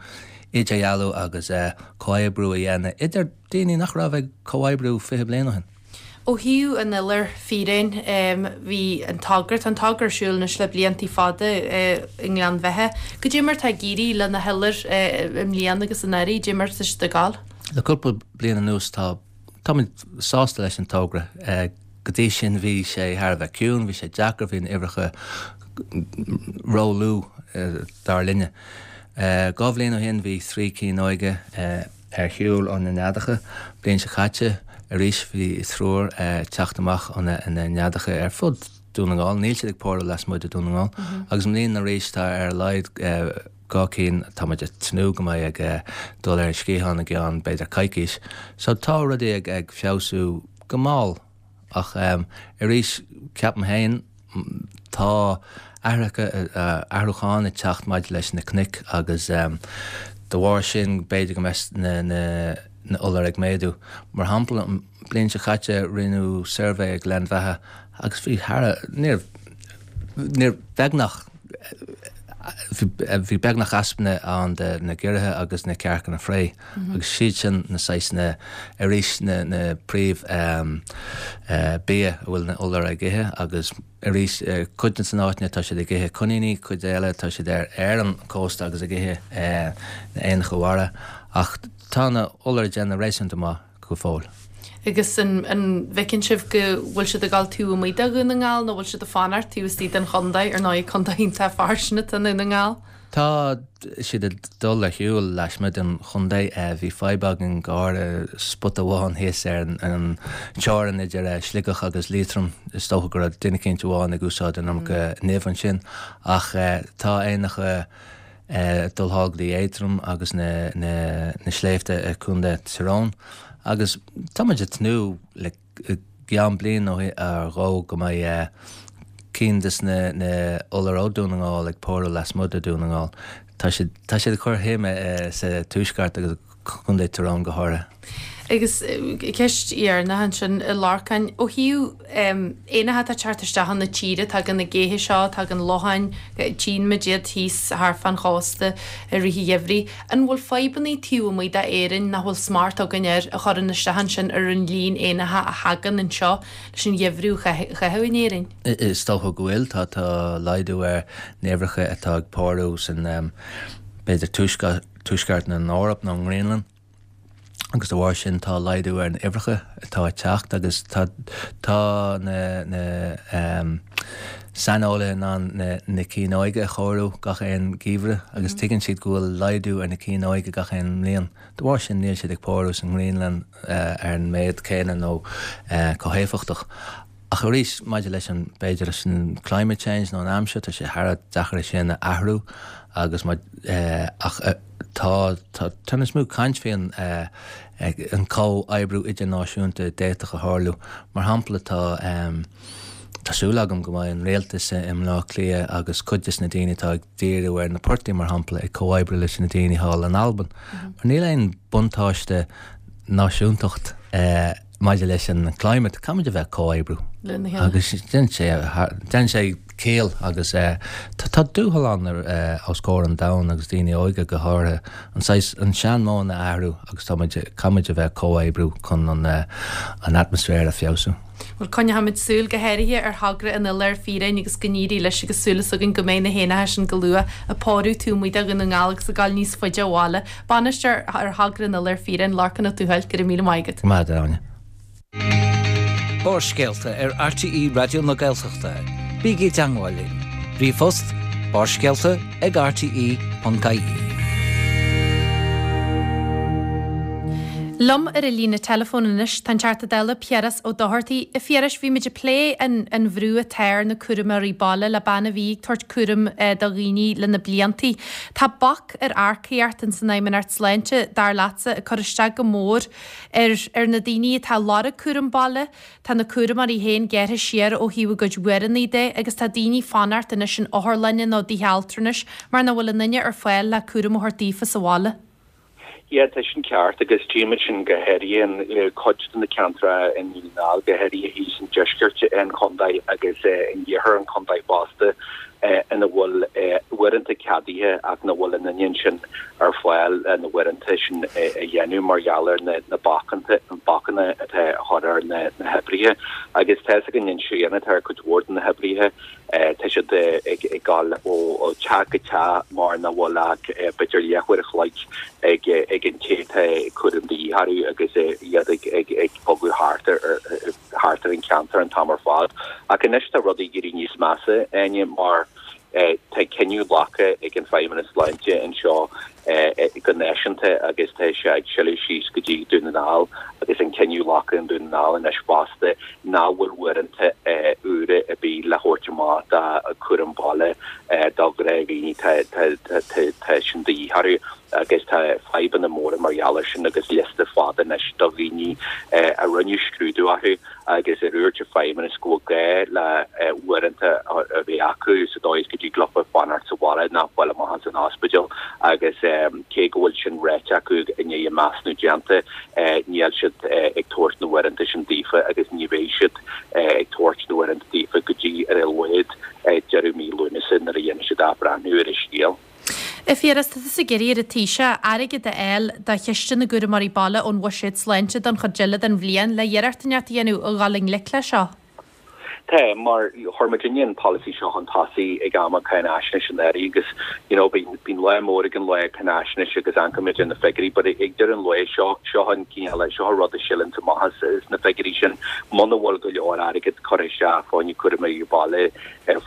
idirdhealú agus comhoibriú a dhéanamh idir daoine nach raibh ag comhoibriú fiche bliain ó shin. Ó thaobh an iolair fiáin bhí an togra an togra ar siúl anois le blianta fada i nGleann Bheatha. Goidé mar tá ag éirí le na hiolair i mbliana agus anuraidh, goidé mar tá siad ag gabháil. Le cúpla bliain anuas tá táimid sásta leis an togra. Go dtí sin bhí sé thar a bheith ciúin, bhí sé deacair, bhí na huimhreacha ró-lú dar linne. Dhá bhliain ó shin bhí trí cinn óige ar shiúl ó na neadacha, bliain seo caite arís bhí triúr teacht amach ó na neadacha ar fud Dún na nGall, níl siad ag pórú lasmuigh de Dún na nGall. Agus i mbliana arís tá ar a laghad dhá cinn táimid ag tnúth go mbeidh ag dul ar an sciathán i gceann b'fhéidir coicís. So tá rudaí ag ag feabhsú go mall ach um, arís ceapaim féin tá athracha athrúchán ag teacht maidir leis na cnoic agus um, de bharr sin b'fhéidir go mbeidh na, na, na iolair ag méadú. Mar shampla an bliain seo caite rinneadh suirbhé ag Gleann Bheatha agus bhí thar níor níor beagnach Bhí beagnach easnamh ann de na giorraithe agus na cearcanna fraoigh agus siad sin na saghsanna arís na na príomh bia a bhfuil na iolair ag ithe agus arís cuid de na áiteanna tá siad ag ithe coiníní, cuid eile tá siad ar ar an cósta agus ag ithe na éanacha mara ach tá na iolair ag déanamh réasúnta maith go fóill. Agus an an bhfeiceann sibh go bhfuil siad ag dul taobh amuigh de Dhún na nGall nó bhfuil siad ag fanacht taobh istigh den chontae, ar ndóigh contae iontach fairsing atá i nDún na nGall? Tá siad ag dul ar shiúl lasmuigh den chontae. Bhí fadhb againn go háirithe spota amháin thíos ar an teorainn idir Sligeach agus Liatroim. Is dócha go raibh duine eicínt amháin ag úsáid an iomarca nimh ansin ach tá éanacha ag dul thall go dtí Aontroim agus na na sléibhte i Contae Tyrone agus tá muid ag tnúth le i gceann bliain nó dhó go mbeidh cinn des na na iolair ó Dún na nGall ag pórú lasmuigh de Dún na nGall. Tá siad tá siad ag cur shuime sa tuaisceart agus Contae Tyrone go háirithe. Agus ceist dheireanach ansin, a Lorcáin, ó thaobh éanacha atá ag teacht isteach chun na tíre, tagann na géithe seo, tagann locháin, tchíonn muid iad thíos thart fán chósta i rith an gheimhridh. An bhfuil fadhbanna taobh amuigh d'Éirinn nach bhfuil smacht againn air a chuireann isteach ansin ar an líon éanacha a thagann anseo leis an gheimhreadh a chaitheamh in Éirinn? Is dócha go bhfuil. Tá tá laghdú ar na huimhreacha atá ag pórú san b'fhéidir tuaisceart na hEorpa nó an nGraonlainn agus de bharr sin tá laghdú ar na huimhreacha atá ag teacht agus tá tá na na saineolaithe in ann na na cinn óige a chomhaireamh gach aon gheimhreadh agus tuigeann siad go bhfuil laghdú ar na cinn óige gach aon mbliain. De bharr sin níl siad ag pórú sa nGraonlainn ar an méid céanna nó chomh héifeachtach. Ach arís, maidir leis an, b'fhéidir leis an climate change nó an aimsir, tá sé thar a bheith deacair é sin a athrú agus má, ach tá, tá, tá níos mó caint faoin an comhoibriú idirnáisiúnta a d'fhéadfadh a tharlú. Mar shampla, tá, tá súil agam go mbeidh an rialtas i mBleá Cliath agus cuid des na daoine atá ag díriú ar na portaigh, mar shampla, ag comhoibriú leis na daoine thall in Albain. Mar níl aon buntáiste náisiúntacht maidir leis an climate, caithfimid a bheith ag comhoibriú agus déanann sé déanann sé ciall agus tá dúshlán os comhair an domhain agus daoine óga go háirithe an saghas an seanmheon a athrú agus tá muid caithfimid a bheith ag comhoibriú chun an an atmaisféar a feabhsú. Bhuel, coinneochaimid súil go háirithe ar thogra an Iolair Fiáin agus go n-éirí leis agus súil is againn go mbeidh na héanacha sin go luath ag pórú taobh amuigh de Dhún na nGall agus ag gabháil níos faide abhaile. Bainisteoir ar thogra an Iolair Fiáin, Lorcán Ó Tuathail, go raibh míle maith agat. Go maith agat, a Áine. Barrscéalta ar RTÉ Raidió na Gaeltachta. Bígí i dteangmháil linn. Ríomhphost, barrscéalta ag rte ponc ie. Liom ar an líne teileafóin anois tá an Teachta Dála Piaras Ó Dochartaigh. A Phiarais, bhí muid ag plé an an bhrú atá ar na cúramóirí baile le bean a bhí ag tabhairt cúram do dhaoine le na bliantaí. Tá bac ar earcaíocht ins an Fheidhmeannacht Sláinte, dar leatsa, ag cur isteach go mór ar ar na daoine atá ag lorg cúram baile. Tá na cúramóirí féin gearrtha siar ó thaobh a gcuid uaireanna de agus tá daoine ag fanacht anois in otharlanna nó dtithe altranais mar nach bhfuil aon duine ar fáil le cúram a thabhairt daofa sa bhaile. Yeah, tá sin ceart agus tchímid sin go háirithe in cuid de na ceantracha i nDún na nGall, go háirithe thíos in deisceart an chontae agus in iarthar an chontae fosta, ina bhfuil uaireanta ceadaithe ach nach bhfuil aon duine ansin ar fáil le na huaireanta sin a dhéanamh mar gheall ar na bacanna atá á chur ar na hoibrithe. Agus tá fhios againn an srian atá ar cuid mhór de na hoibrithe. Tá siad ag dul ó teach go teach mar nach bhfuil ach b'fhéidir leathuair a chloig ag ag an té atá cúram de dhíth orthu agus iad ag ag ag bogadh thart ar thart ar an cheantar an t-am ar fad. Ach anois tá rudaí ag éirí níos measa, Áine, mar tá cinneadh glactha ag an Feidhmeannas Sláinte anseo go náisiúnta agus tá sé ag sileadh síos go dtí Dún na nGall agus an cinneadh glactha in Dún na nGall anois fosta nach bhfuil uaireanta úra ar bith le thabhairt amach do chúram baile do ghnáthdhaoine tá sin de dhíth orthu agus tá fadhbanna móra mar gheall air sin agus liosta fada anois do dhaoine a rinneadh scrúdú orthu agus a dúirt an Feidhmeannas go bhfuil gá le uaireanta a bheith acu sa dóigh is go dtig leofa fanacht sa bhaile nach bhfuil amach as an ospidéal agus cé go bhfuil sin ráite acu i ndiaidh a measúnú déanta níl siad ag tabhairt na uaireanta sin daofa agus ní bheidh siad ag tabhairt na uaireanta daofa go dtí ar a laghad deireadh mí Lúnasa nuair a dhéanfaidh siad athbhreithniú ar an scéal. A Phiarais, tá tusa ag iarraidh ar an Taoiseach airgead a fháil do chiste na gcúramóirí baile ón bhuiséad sláinte don chuid eile den bhliain le iarracht inteacht a dhéanamh a dhul i ngleic leis seo. Tá, mar chuir muidinne an polasaí seo chun tosaigh ag am an cháinaisnéis anuraidh agus you know bíonn bíonn lá mór ag an lá cáinaisnéis agus amharcaimid ar na figiúirí but ag deireadh an lae seo seo an cineál seo an rud a sileann amach as as na figiúirí sin muna bhfuil go leor airgead curtha isteach fá choinne cúramóirí baile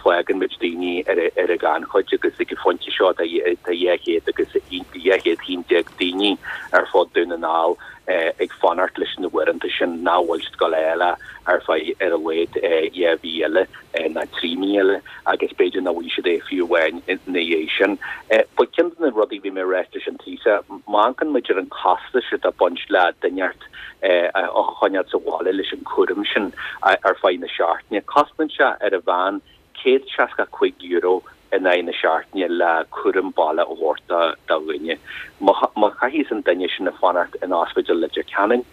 fágann muid daoine ar ar an ghannchuid agus ag an phointe seo tá tá dhá chéad agus dhá chéad haon déag daoine ar fud Dún na nGall ag fanacht leis na huaireanta sin nach bhfuil siad ag gabháil a fháil ar feadh ar a laghad dhá mhí eile nó trí mhí eile agus b'fhéidir nach bhfaighidh siad é fiú amháin ina dhiaidh sin. But ceann de na rudaí a bhí mé ag ráit leis an Taoiseach, má amharcann muid ar an costas atá ag baint le duine a choinneáil sa bhaile leis an chúram sin ar feadh na seachtaine, cosnaíonn sé ar a mheán céad seasca cúig euro in aghaidh na seachtaine le cúram baile a thabhairt do dhuine. Má chaithfidh an duine sin a fanacht in Ospidéal Leitir Ceanainn,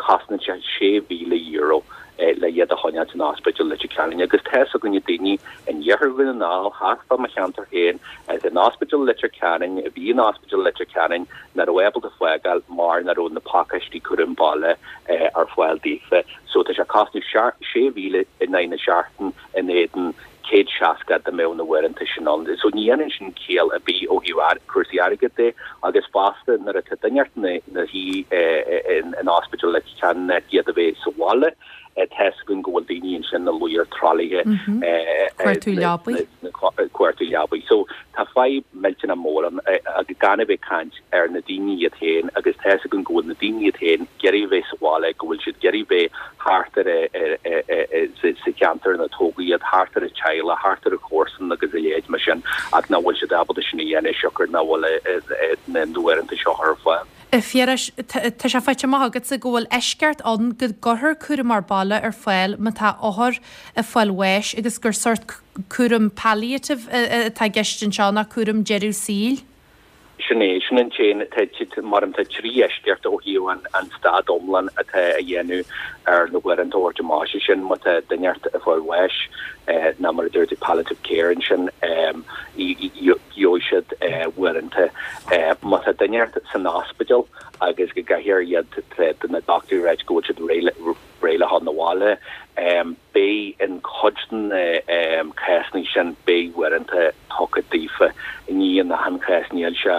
cosnaíonn sé sé mhíle euro le iad a choinneáil san Ospidéal Leitir Ceanainn. Agus tá fhios againne daoine in iarthar Dhún na nGall, thart fá mo cheantar féin, in Ospidéal Leitir Ceanainn, a bhí in Ospidéal Leitir Ceanainn, nach raibh ábalta fágáil mar nach raibh na pacáistí cúram baile ar fáil daofa. So tá sé ag cosnú sé mhíle in aghaidh na seachtain in éadan céad seasca dá mbeadh na huaireanta sin ann. So ní dhéanann sin ciall ar bith ó thaobh cúrsaí airgid de agus fosta nuair atá duine ina shuí in ospidéal Leitir Ceanainn iad a bheith sa bhaile, tá fhios againn go bhfuil daoine ansin ina luí ar tralaithe, cuartú leabaí. cuartú leabaí. So tá fadhb millteanach mór ann agus gan a bheith ag caint ar na daoine iad féin agus tá fhios againn go bhfuil na daoine iad féin ag iarraidh a bheith sa bhaile, go bhfuil siad ag iarraidh bheith thart ar sa cheantar ina tógadh iad, thart ar a teaghlach, thart ar a chomharsan agus a leithéid mar sin ach nach bhfuil siad ábalta sin a dhéanamh siocair nach bhfuil na uaireanta seo ar fáil. A Phiarais, tá sé faighte amach agatsa go bhfuil eisceacht ann go gcuirfear cúramóir baile ar fáil má tá othar ag fáil bháis agus gur sórt cúram palliative atá i gceist anseo ná cúram deireadh saoil. Sin é, sin an t-aon, mar tá trí eisceacht ó thaobh an an staid iomlán atá a dhéanamh ar na huaireanta a thabhairt amach, sé sin má tá duine ag fáil bháis ná mar a dúirt tú palliative care ansin gheobhaidh siad uaireanta. Má tá duine san ospidéal agus go gcaithfear iad do na dochtúirí a ráit go bhfuil siad réidh le dhul 'na bhaile, beidh in cuid de na cásanna sin beidh uaireanta tugtha daofa. Ní in achan chás, níl sé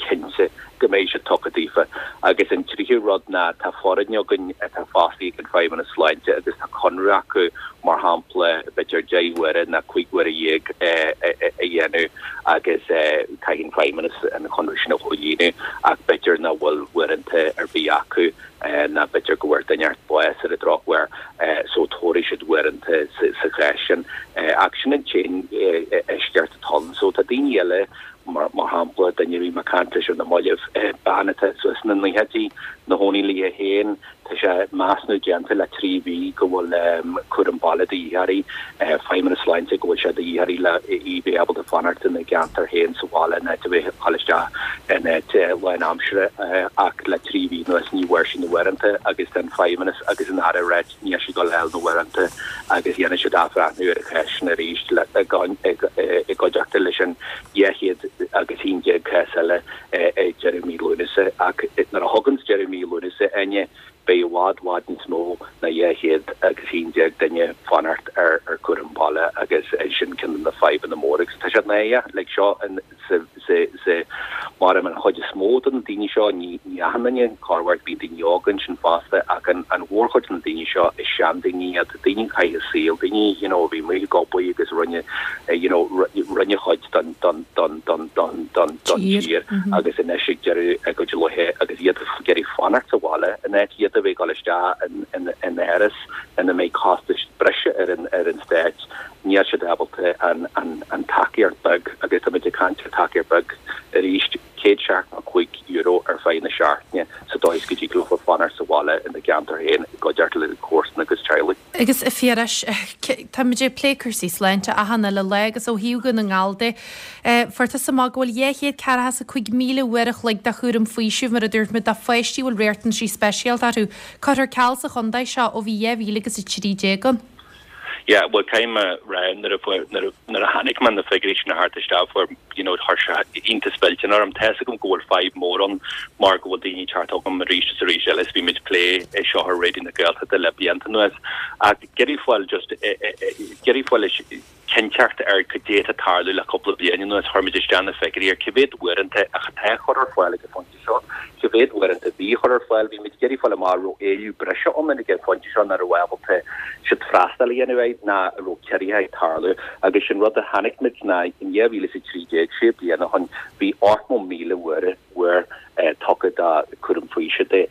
cinnte go mbeidh siad tugtha daofa. Agus an tríú rud ná tá foireann againn atá fostaithe ag an Feidhmeannas Sláinte agus tá conradh acu mar shampla b'fhéidir deich uaire nó cúig uaire dhéag a dhéanamh agus caithfidh an Feidhmeannas an conradh sin a chomhlíonadh ach b'fhéidir nach bhfuil uaireanta ar bith acu ná b'fhéidir go bhfuair duine bás ar an drochuair so tabharfaidh siad uaireanta sa chás sin. Ach sin an t-aon eisceacht atá ann. So tá daoine eile mar shampla duine a bhí mé ag caint leis ar na mallaibh, bean atá suas sna naochaidí, ina cónaí léi féin, tá sé measúnú déanta le trí mhí go bhfuil cúram baile de dhíth uirthi, Feidhmeannas Sláinte go bhfuil sé de dhíth uirthi le í bheith ábalta fanacht ina gceantar féin sa bhaile in áit a bheith ag dul isteach in áit lánaimseartha ach le trí mhí anuas ní bhfuair sí na huaireanta agus tá an Feidhmeannas agus an Aire ag ráit níl sí ag dul a fháil na huaireanta agus dhéanfaidh siad athbhreithniú ar an chás sin arís i gcuideachta leis an dhá chéad agus haon déag cás eile ag deireadh mí Lúnasa. Ach nuair a thaganns deireadh mí Lúnasa, Áine, beidh i bhfad, bhfad níos mó ná dhá chéad agus haon déag duine ag fanacht ar chúram baile agus sin ceann de na fadhbanna móra agus tá sé náireach like seo sa sa mar an chuid is mó de na daoine seo, ní ní achan duine, corruair bíonn daoine óga ansin fosta ach an an mhórchuid de na daoine seo is seandaoine iad, daoine a chaith a saol, daoine you know a bhí amuigh ag obair agus rinne you know rinne chuid don don don don don don don tír agus anois ag deireadh a gcuid laetha agus iad ag iarraidh fanacht sa bhaile in áit iad a bheith ag dul isteach in in in áras ina mbeidh costais breise ar an ar an stát. Níl siad ábalta an an tacaíocht beag, agus táimid ag caint ar tacaíocht beag arís, céad seachtó cúig euro ar feadh na seachtaine sa dóigh is go dtig leofa fanacht sa bhaile ina gceantar féin i gcuideachta le comharsana agus teaghlaigh. Agus a Phiarais, táimid ag plé cúrsaí sláinte achan uile lá agus ó thaobh Dhún na nGall de, fuair tusa amach go bhfuil dhá chéad ceathracha is a cúig míle uair a chloig de chúram faoisimh, mar a dúirt muid, do pháistí a bhfuil riachtanaisí speisialta orthu, curtha ar ceal sa chontae seo ó bhí dhá mhíle agus a trí déag ann. Yeah, well caithfidh mé a rá nuair a fuair nuair a nuair a chonaic mé na figiúirí sin ag teacht isteach fuair you know chuir sé iontas millteanach orm. Tá fhios agam go bhfuil fadhb mór ann mar go bhfuil daoine ag teacht chugam arís is arís eile is bhí muid ag plé é seo ar Raidió na Gaeltachta le blianta anuas ach ag iarraidh fáil just ag iarraidh fáil cinnteacht ar cad é atá ag tarlú le cúpla bliain anuas. Chuir muid isteach na figiúirí ar cé mhéad uaireanta atá á chur ar fáil ag an phointe seo, cé mhéad uaireanta a bhí á chur ar fáil. Bhí muid ag iarraidh fáil amach an raibh éileamh breise ann ag an phointe seo nach raibh ábalta siad freastal a dhéanamh air ná an raibh ciorruithe ag tarlú. Agus sin rud a chonaic muid ná in dhá mhíle is a trí déag, sé bliana ó shin, bhí ochtó míle uair uair tugtha do chúram faoisimh.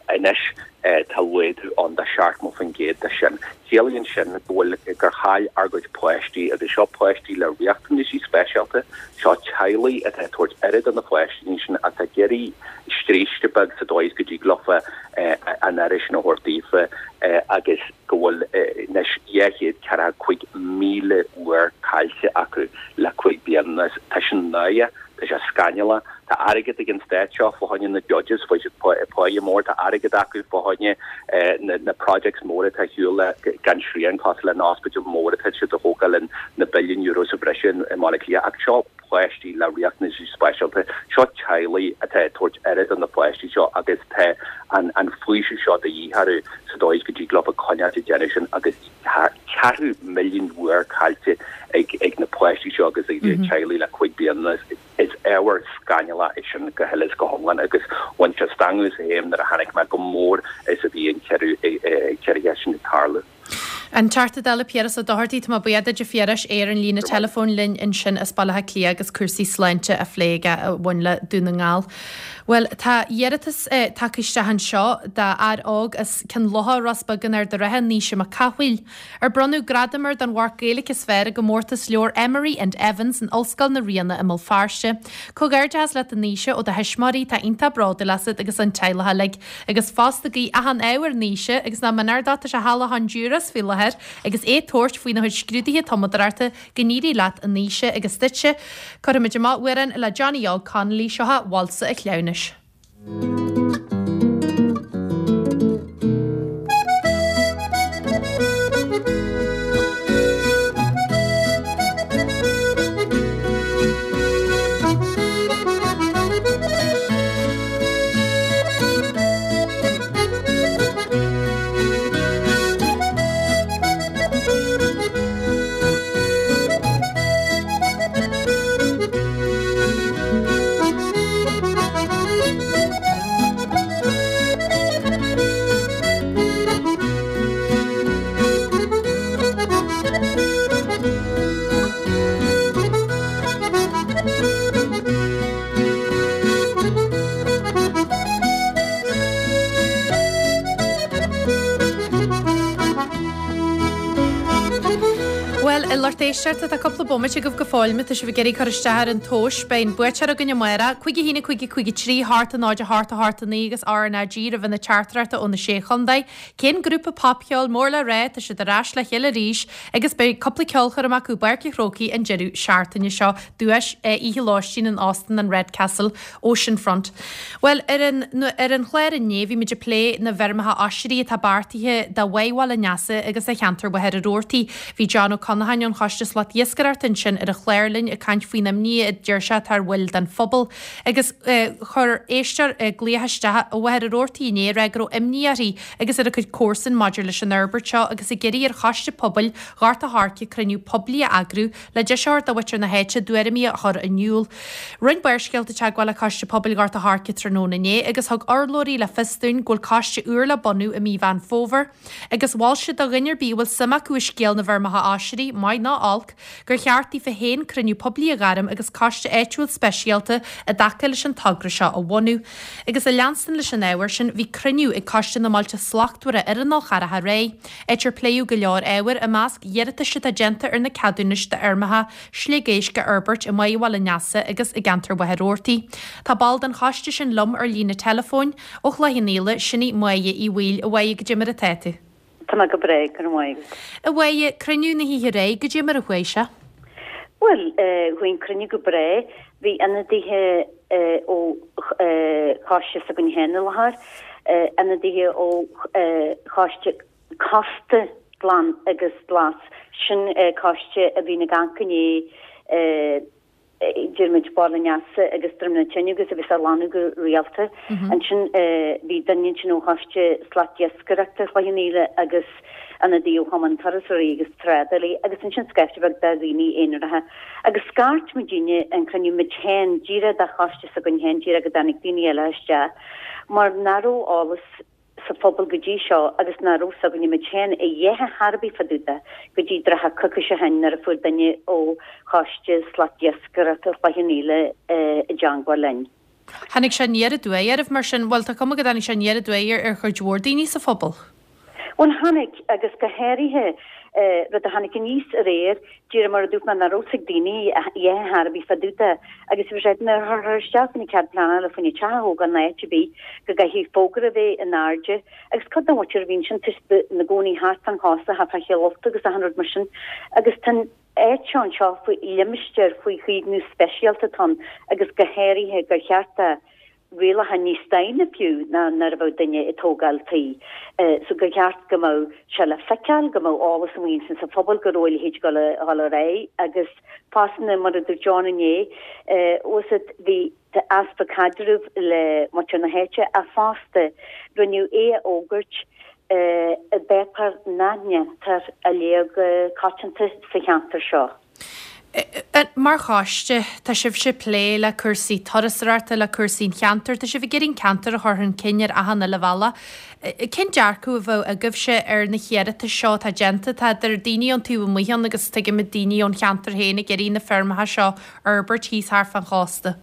Anois tá laghdú ann de seachtó faoin gcéad de sin. Ciallaíonn sin go bhfuil gur chaill ár gcuid páistí, agus seo páistí le riachtanaisí speisialta, seo teaghlaigh atá ag tabhairt aire do na páistí sin atá ag iarraidh scríste beag sa dóigh is go dtig leofa an aire sin a thabhairt daofa agus go bhfuil anois dhá chéad ceathracha cúig míle uair caillte acu le cúig bliana anuas. Tá sin náireach. Tá sé scannalach. Tá airgead ag an stát seo fá choinne na judges, faigheann siad páighe mór, tá airgead acu fá choinne na projects móra atá ar siúl gan srian, cosúil le an ospidéal mór atá siad a thógáil na billiún euro sa bhreis i mBaile Átha Cliath. Ach seo páistí le riachtanaisí speisialta, seo teaghlaigh atá ag tabhairt aire do na páistí seo agus tá an faoiseamh seo de dhíth orthu sa dóigh is go dtig leo coinneáil ag déanamh sin agus tá ceathrú milliún uair caillte ag na páistí seo agus ag a teaghlaigh le cúig bliana anuas. Is ábhar scannalach é sin go huile is go hiomlán agus bhain sé stangadh as a shéam nuair a chonaic mé chomh mór is a bhí an ciorruithe sin ag tarlú. An Teachta Dála Piaras Ó Dochartaigh, tá mé buíoch duit a Phiarais, é ar an líne teileafóin linn ansin as Baile Átha Cliath agus cúrsaí sláinte á phlé aige a bhain le Dún na nGall. Bhuel, tá iarratas tagtha isteach anseo d'fhear óg as Cionn Locha, Ros Beag in Ard an Rátha, Naoise Mac Cathmhaoil, ar bronnadh gradam air don mharc Gaeilge is fearr i gcomórtas leabhar Emery and Evans in Ollscoil na Ríona i mBéal Feirste. Comhghairdeachas leat a Naoise ó do thuismitheoirí, atá iontach bródúil asat agus an teaghlach uilig. Agus fosta guí achan ádh ar Naoise agus nach méanar dó, tá sé thall i Honduras faoi láthair agus é ag tabhairt faoina chuid scrúduithe tumadóireachta, go n-éirí leat a Naoise agus duitse. Cuirfimid amach amhrán le Johnny Óg Connolly, seo é Válsa an Chleamhnais. Bhuel, a lucht éisteachta, tá cúpla bomaite agaibh go fóill má tá sibh ag iarraidh cur isteach ar an tomhas. Beidh an buaiteoir againn amárach, cúig a haon a cúig a cúig a trí, hocht a náid a hocht a hocht a naoi agus RnaG roimh na teachtaireachtaí ó na Sé Chontae. Cén grúpa popcheoil mór le rá, tá siad ar ais le chéile arís agus beidh cúpla ceolchoirm acu i bPáirc an Chrócaigh an deireadh seachtaine seo, duais oíche lóistín in Óstán an Redcastle Oceanfront. Bhuel, ar an ar an chlár inné bhí muid ag plé na bhfeirmeacha oisrí atá beartaithe do Bháigh Bhaile an Easa agus do cheantar Mhachaire Rabhartaigh. Bhí John Ó Conacháin ón Choiste Slatiascaireachta ansin ar an chlár linn ag caint faoin imní a deir sé atá ar bhaill den phobal agus chuir éisteoir glaoch isteach ó Mhachaire Rabhartaigh inné ag rá go raibh imní uirthi agus ar a cuid comharsan maidir leis an fhorbairt seo agus ag iarraidh ar Choiste Pobail Ghort a' Choirce cruinniú poiblí a eagrú le deis a thabhairt do mhuintir na háite a dtuairimí a chur in iúl. Rinne Barrscéalta teagmháil le Coiste Pobail Ghort a' Choirce tráthnóna inné agus thug urlabhraí le fios dúinn go bhfuil coiste úr le bunú i mí Mheán Fómhair agus mhol siad do dhuine ar bith a bhfuil suim acu i scéal na bhfeirmeacha oisrí, maith ná olc, gur cheart daofa féin cruinniú poiblí a ghairm agus coiste áitiúil speisialta i dtaca leis an togra seo a bhunú. Agus ag leanstan leis an ábhar sin, bhí cruinniú ag Coiste na mBailte Slachtmhara ar an Fhál Carrach aréir, áit ar pléadh go leor ábhar, i measc iarratais atá déanta ar na ceadúnais d'fheirmeacha sliogéisc a fhorbairt i mBaile Bhaile an Easa agus i gceantar Mhachaire Rabhartaigh. Tá ball den choiste sin liom ar líne teileafóin ó Chloich Cheann Fhaola, sin í Máire Uí Bhaoill. A Mháire, goidé mar atá tú? Tá mé go breá, go raibh maith agat. A Mháire, cruinniú na hoíche aréir, goidé mar a chuaigh sé? Bhuel, chuaigh an cruinniú go breá. Bhí ionadaithe ó choiste s'againn féin i láthair, ionadaithe ó choiste cósta. Glan agus Glas, sin coiste a bhíonn ag amharc i ndiaidh deir muid Barr an Easa agus Droim na Tine agus a bhíos á ghlanadh go rialta. Ansin bhí duine ansin ó Choiste Slatiascaireachta Chloich Cheann Fhaola agus ionadaí ó Chumann Turasóirí agus Trádálaí agus ansin scaifte beag de dhaoine aonaracha. Agus scairt muidinne an cruinniú muid féin díreach de choiste s'againn féin díreach go dtáinig daoine eile isteach mar nach raibh eolas sa phobal go dtí seo agus nach raibh 's againne muid féin a dhath ar bith fá dtaobh de go dtí trátha coicíse ó shin nuair a fuair duine ó Choiste Slatiascaireachta Chloich Cheann Fhaola i dteangmháil linn. Tháinig sé aniar aduaidh oraibh mar sin? Bhuel, tá cuma go dtáinig sé aniar aduaidh ar chuid mhór daoine sa phobal. Bhuel, tháinig, agus go háirithe rud a tháinig aníos aréir, díreach mar a dúirt mé, nach raibh 's ag daoine a dhath ar bith fá dtaobh de, agus bhí sé nuair a chuirthear isteach faoina cead pleanála faoina teach a thógáil in áit ar bith, go gcaithfidh fógra a bheith in airde, agus cuid den mhuintir a bhí ansin tá siad ina gcónaí thart fán chósta, thart fá Chill Ulta agus achan rud mar sin, agus tá an áit seo anseo faoi limistéar faoi chaomhnú speisialta atá ann, agus go háirithe gur cheart do rialacha níos déine fiú ná nuair a bheadh duine ag tógáil tí. So gur cheart go mbeadh sé le feiceáil, go mbeadh eolas amuigh ansin sa phobal go raibh a leithéid ag dul a dhul ar aghaidh agus fosta mar a dúirt John inné, bhfuil 's agat, bhí easpa caidrimh le muintir na háite ach fosta rinneadh é a fhógairt i bpáipéar nach ndéantar a léamh go coitianta sa cheantar seo. Mar choiste, tá sibhse ag plé le cúrsaí turasóireachta, le cúrsaí an cheantair, tá sibh ag iarraidh an ceantar a chur chun cinn ar achan uile bhealach. Cén dearcadh a bheadh agaibhse ar na hiarratais seo atá déanta? Tá idir daoine ón taobh amuigh ann agus tuigimid daoine ón cheantar féin ag iarraidh na feirmeacha seo a fhorbairt thíos thart fán chósta.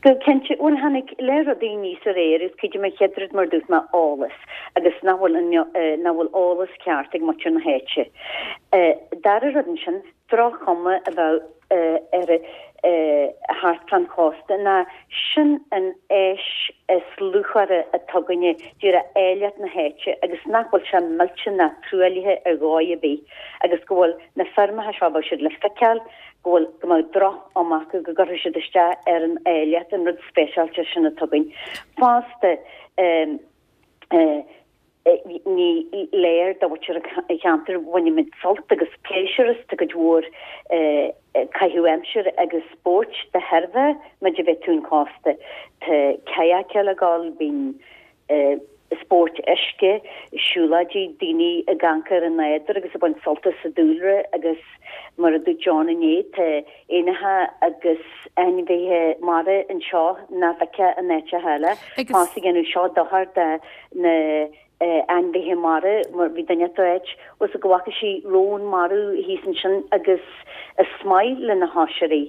Go cinnte, bhuel tháinig le rudaí aníos aréir is cuid de mo chéad rud mar a dúirt mé eolas agus nach bhfuil nach bhfuil eolas ceart ag muintir na háite. Dara rud ansin, droch-chuma a bheadh ar thart fán chósta ná sin an áis is luachmhaire atá againne díreach áilleacht na háite agus nach bhfuil sé millte ná truaillithe ar dhóigh ar bith agus go bhfuil na feirmeacha seo bheadh siad le feiceáil go bhfuil, go mbeadh droch-chuma acu, go gcuirfeadh siad isteach ar an áilleacht, an rud speisialta sin atá againn. Fosta, ní léir do mhuintir an cheantair, bainimid sult agus pléisiúr as, tá cuid mhór caitheamh aimsire agus spóirt de thairbhe muid a bheith ag an chósta. Tá kayakáil ag dul, bíonn spóirt uisce, siúlóidí, daoine ag amharc ar an nádúr agus ag baint sult as an dúlra agus mar a dúirt John inné, tá éanacha agus ainmhithe mara anseo nach bhfeicfeá in áiteacha eile. Fosta dhéanfadh seo dochar do na ainmhithe mara mar bhí duine ag ráit bhfuil 's agat go bhfaca sí rón marbh thíos ansin agus is maith le na hoisrí.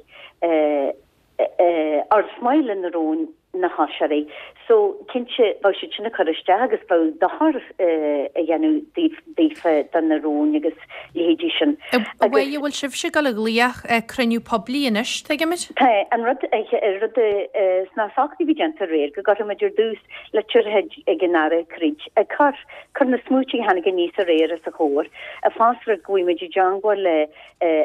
Or is maith le na róin na hoisrí. So, cinnte, bheadh siad sin ag cur isteach agus bheadh dochar a dhéanamh daofa do na róin agus leithéidí sin. A Mháire, bhfuil sibhse ag dul a ghlaoch cruinniú poiblí anois, tuigimid? Tá. An rud, rud sna socruithe a bhí déanta aréir, go gcuirfimid ar dtús litir chuig an Aire Creed ag cur, cur na smaointe a tháinig aníos aréir os a chomhair, fosta rud go bhfuil muid i dteangmháil le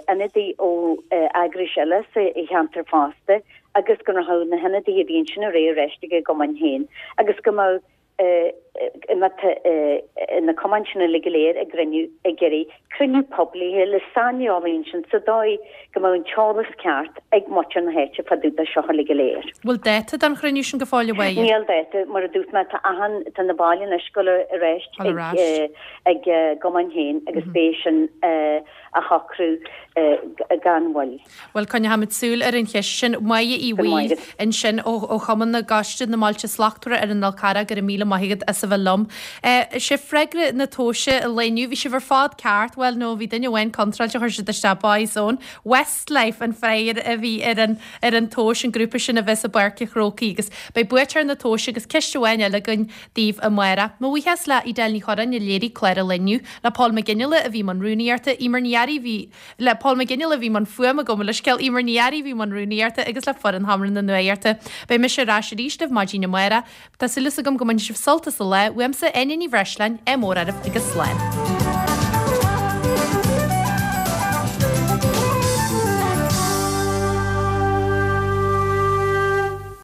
ionadaí ó eagrais eile sa cheantar fosta agus go rachadh na hionadaithe a bhí ansin aréir ar ais ag a gcumainn féin agus go mbeadh na cumainn sin uilig go léir ag gcruinniú ag iarraidh cruinniú poiblí le saineolaí ansin sa dóigh go mbeadh an t-eolas ceart ag muintir na háite fá dtaobh de seo uilig go léir. Bhfuil dáta don chruinniú sin go fóill a Mháire? Níl dáta, mar a dúirt mé tá achan, tá na baill anois ag dul ar ais ag a gcumainn féin agus beidh sin a shocrú gan mhoill. Bhuel, coinneochaimid súil ar an cheist sin. Máire Uí Bhaoill ansin ó Chumann na gCoiste na mBailte Slachtmhara ar an Fhál Carrach, go raibh míle maith agat as a bheith liom. Sé freagra na tomhaise an lae inniu, bhí sibh ar fad ceart, bhuel no, bhí duine amháin contráilte, chuir siad isteach Boyzone, Westlife an freagra a bhí ar an ar an tomhas, an grúpa sin a bheas i bPáirc an Chrócaigh agus beidh buaiteoir na tomhaise agus ceist amháin eile againn daoibh amárach. Mo bhuíochas le Edel Ní Chorráin a léirigh clár an lae inniu, le Paul Mac Fhionnghaile a bhí i mbun rúnaíochta, Eimear Ní Fhearraigh a bhí le Paul Mac Fhionnghaile a bhí i mbun fuaime gabh mo leithscéal, Eimear Ní Fhearraigh a bhí i mbun rúnaíochta agus le foireann Sheomra na Nuachta. Beidh mise ar ais arís libh maidin amárach. Tá súil agam go mbainfidh sibh sult as an lá. Uaimse, Áine Ní Bhreisleáin, ádh mór oraibh agus slán.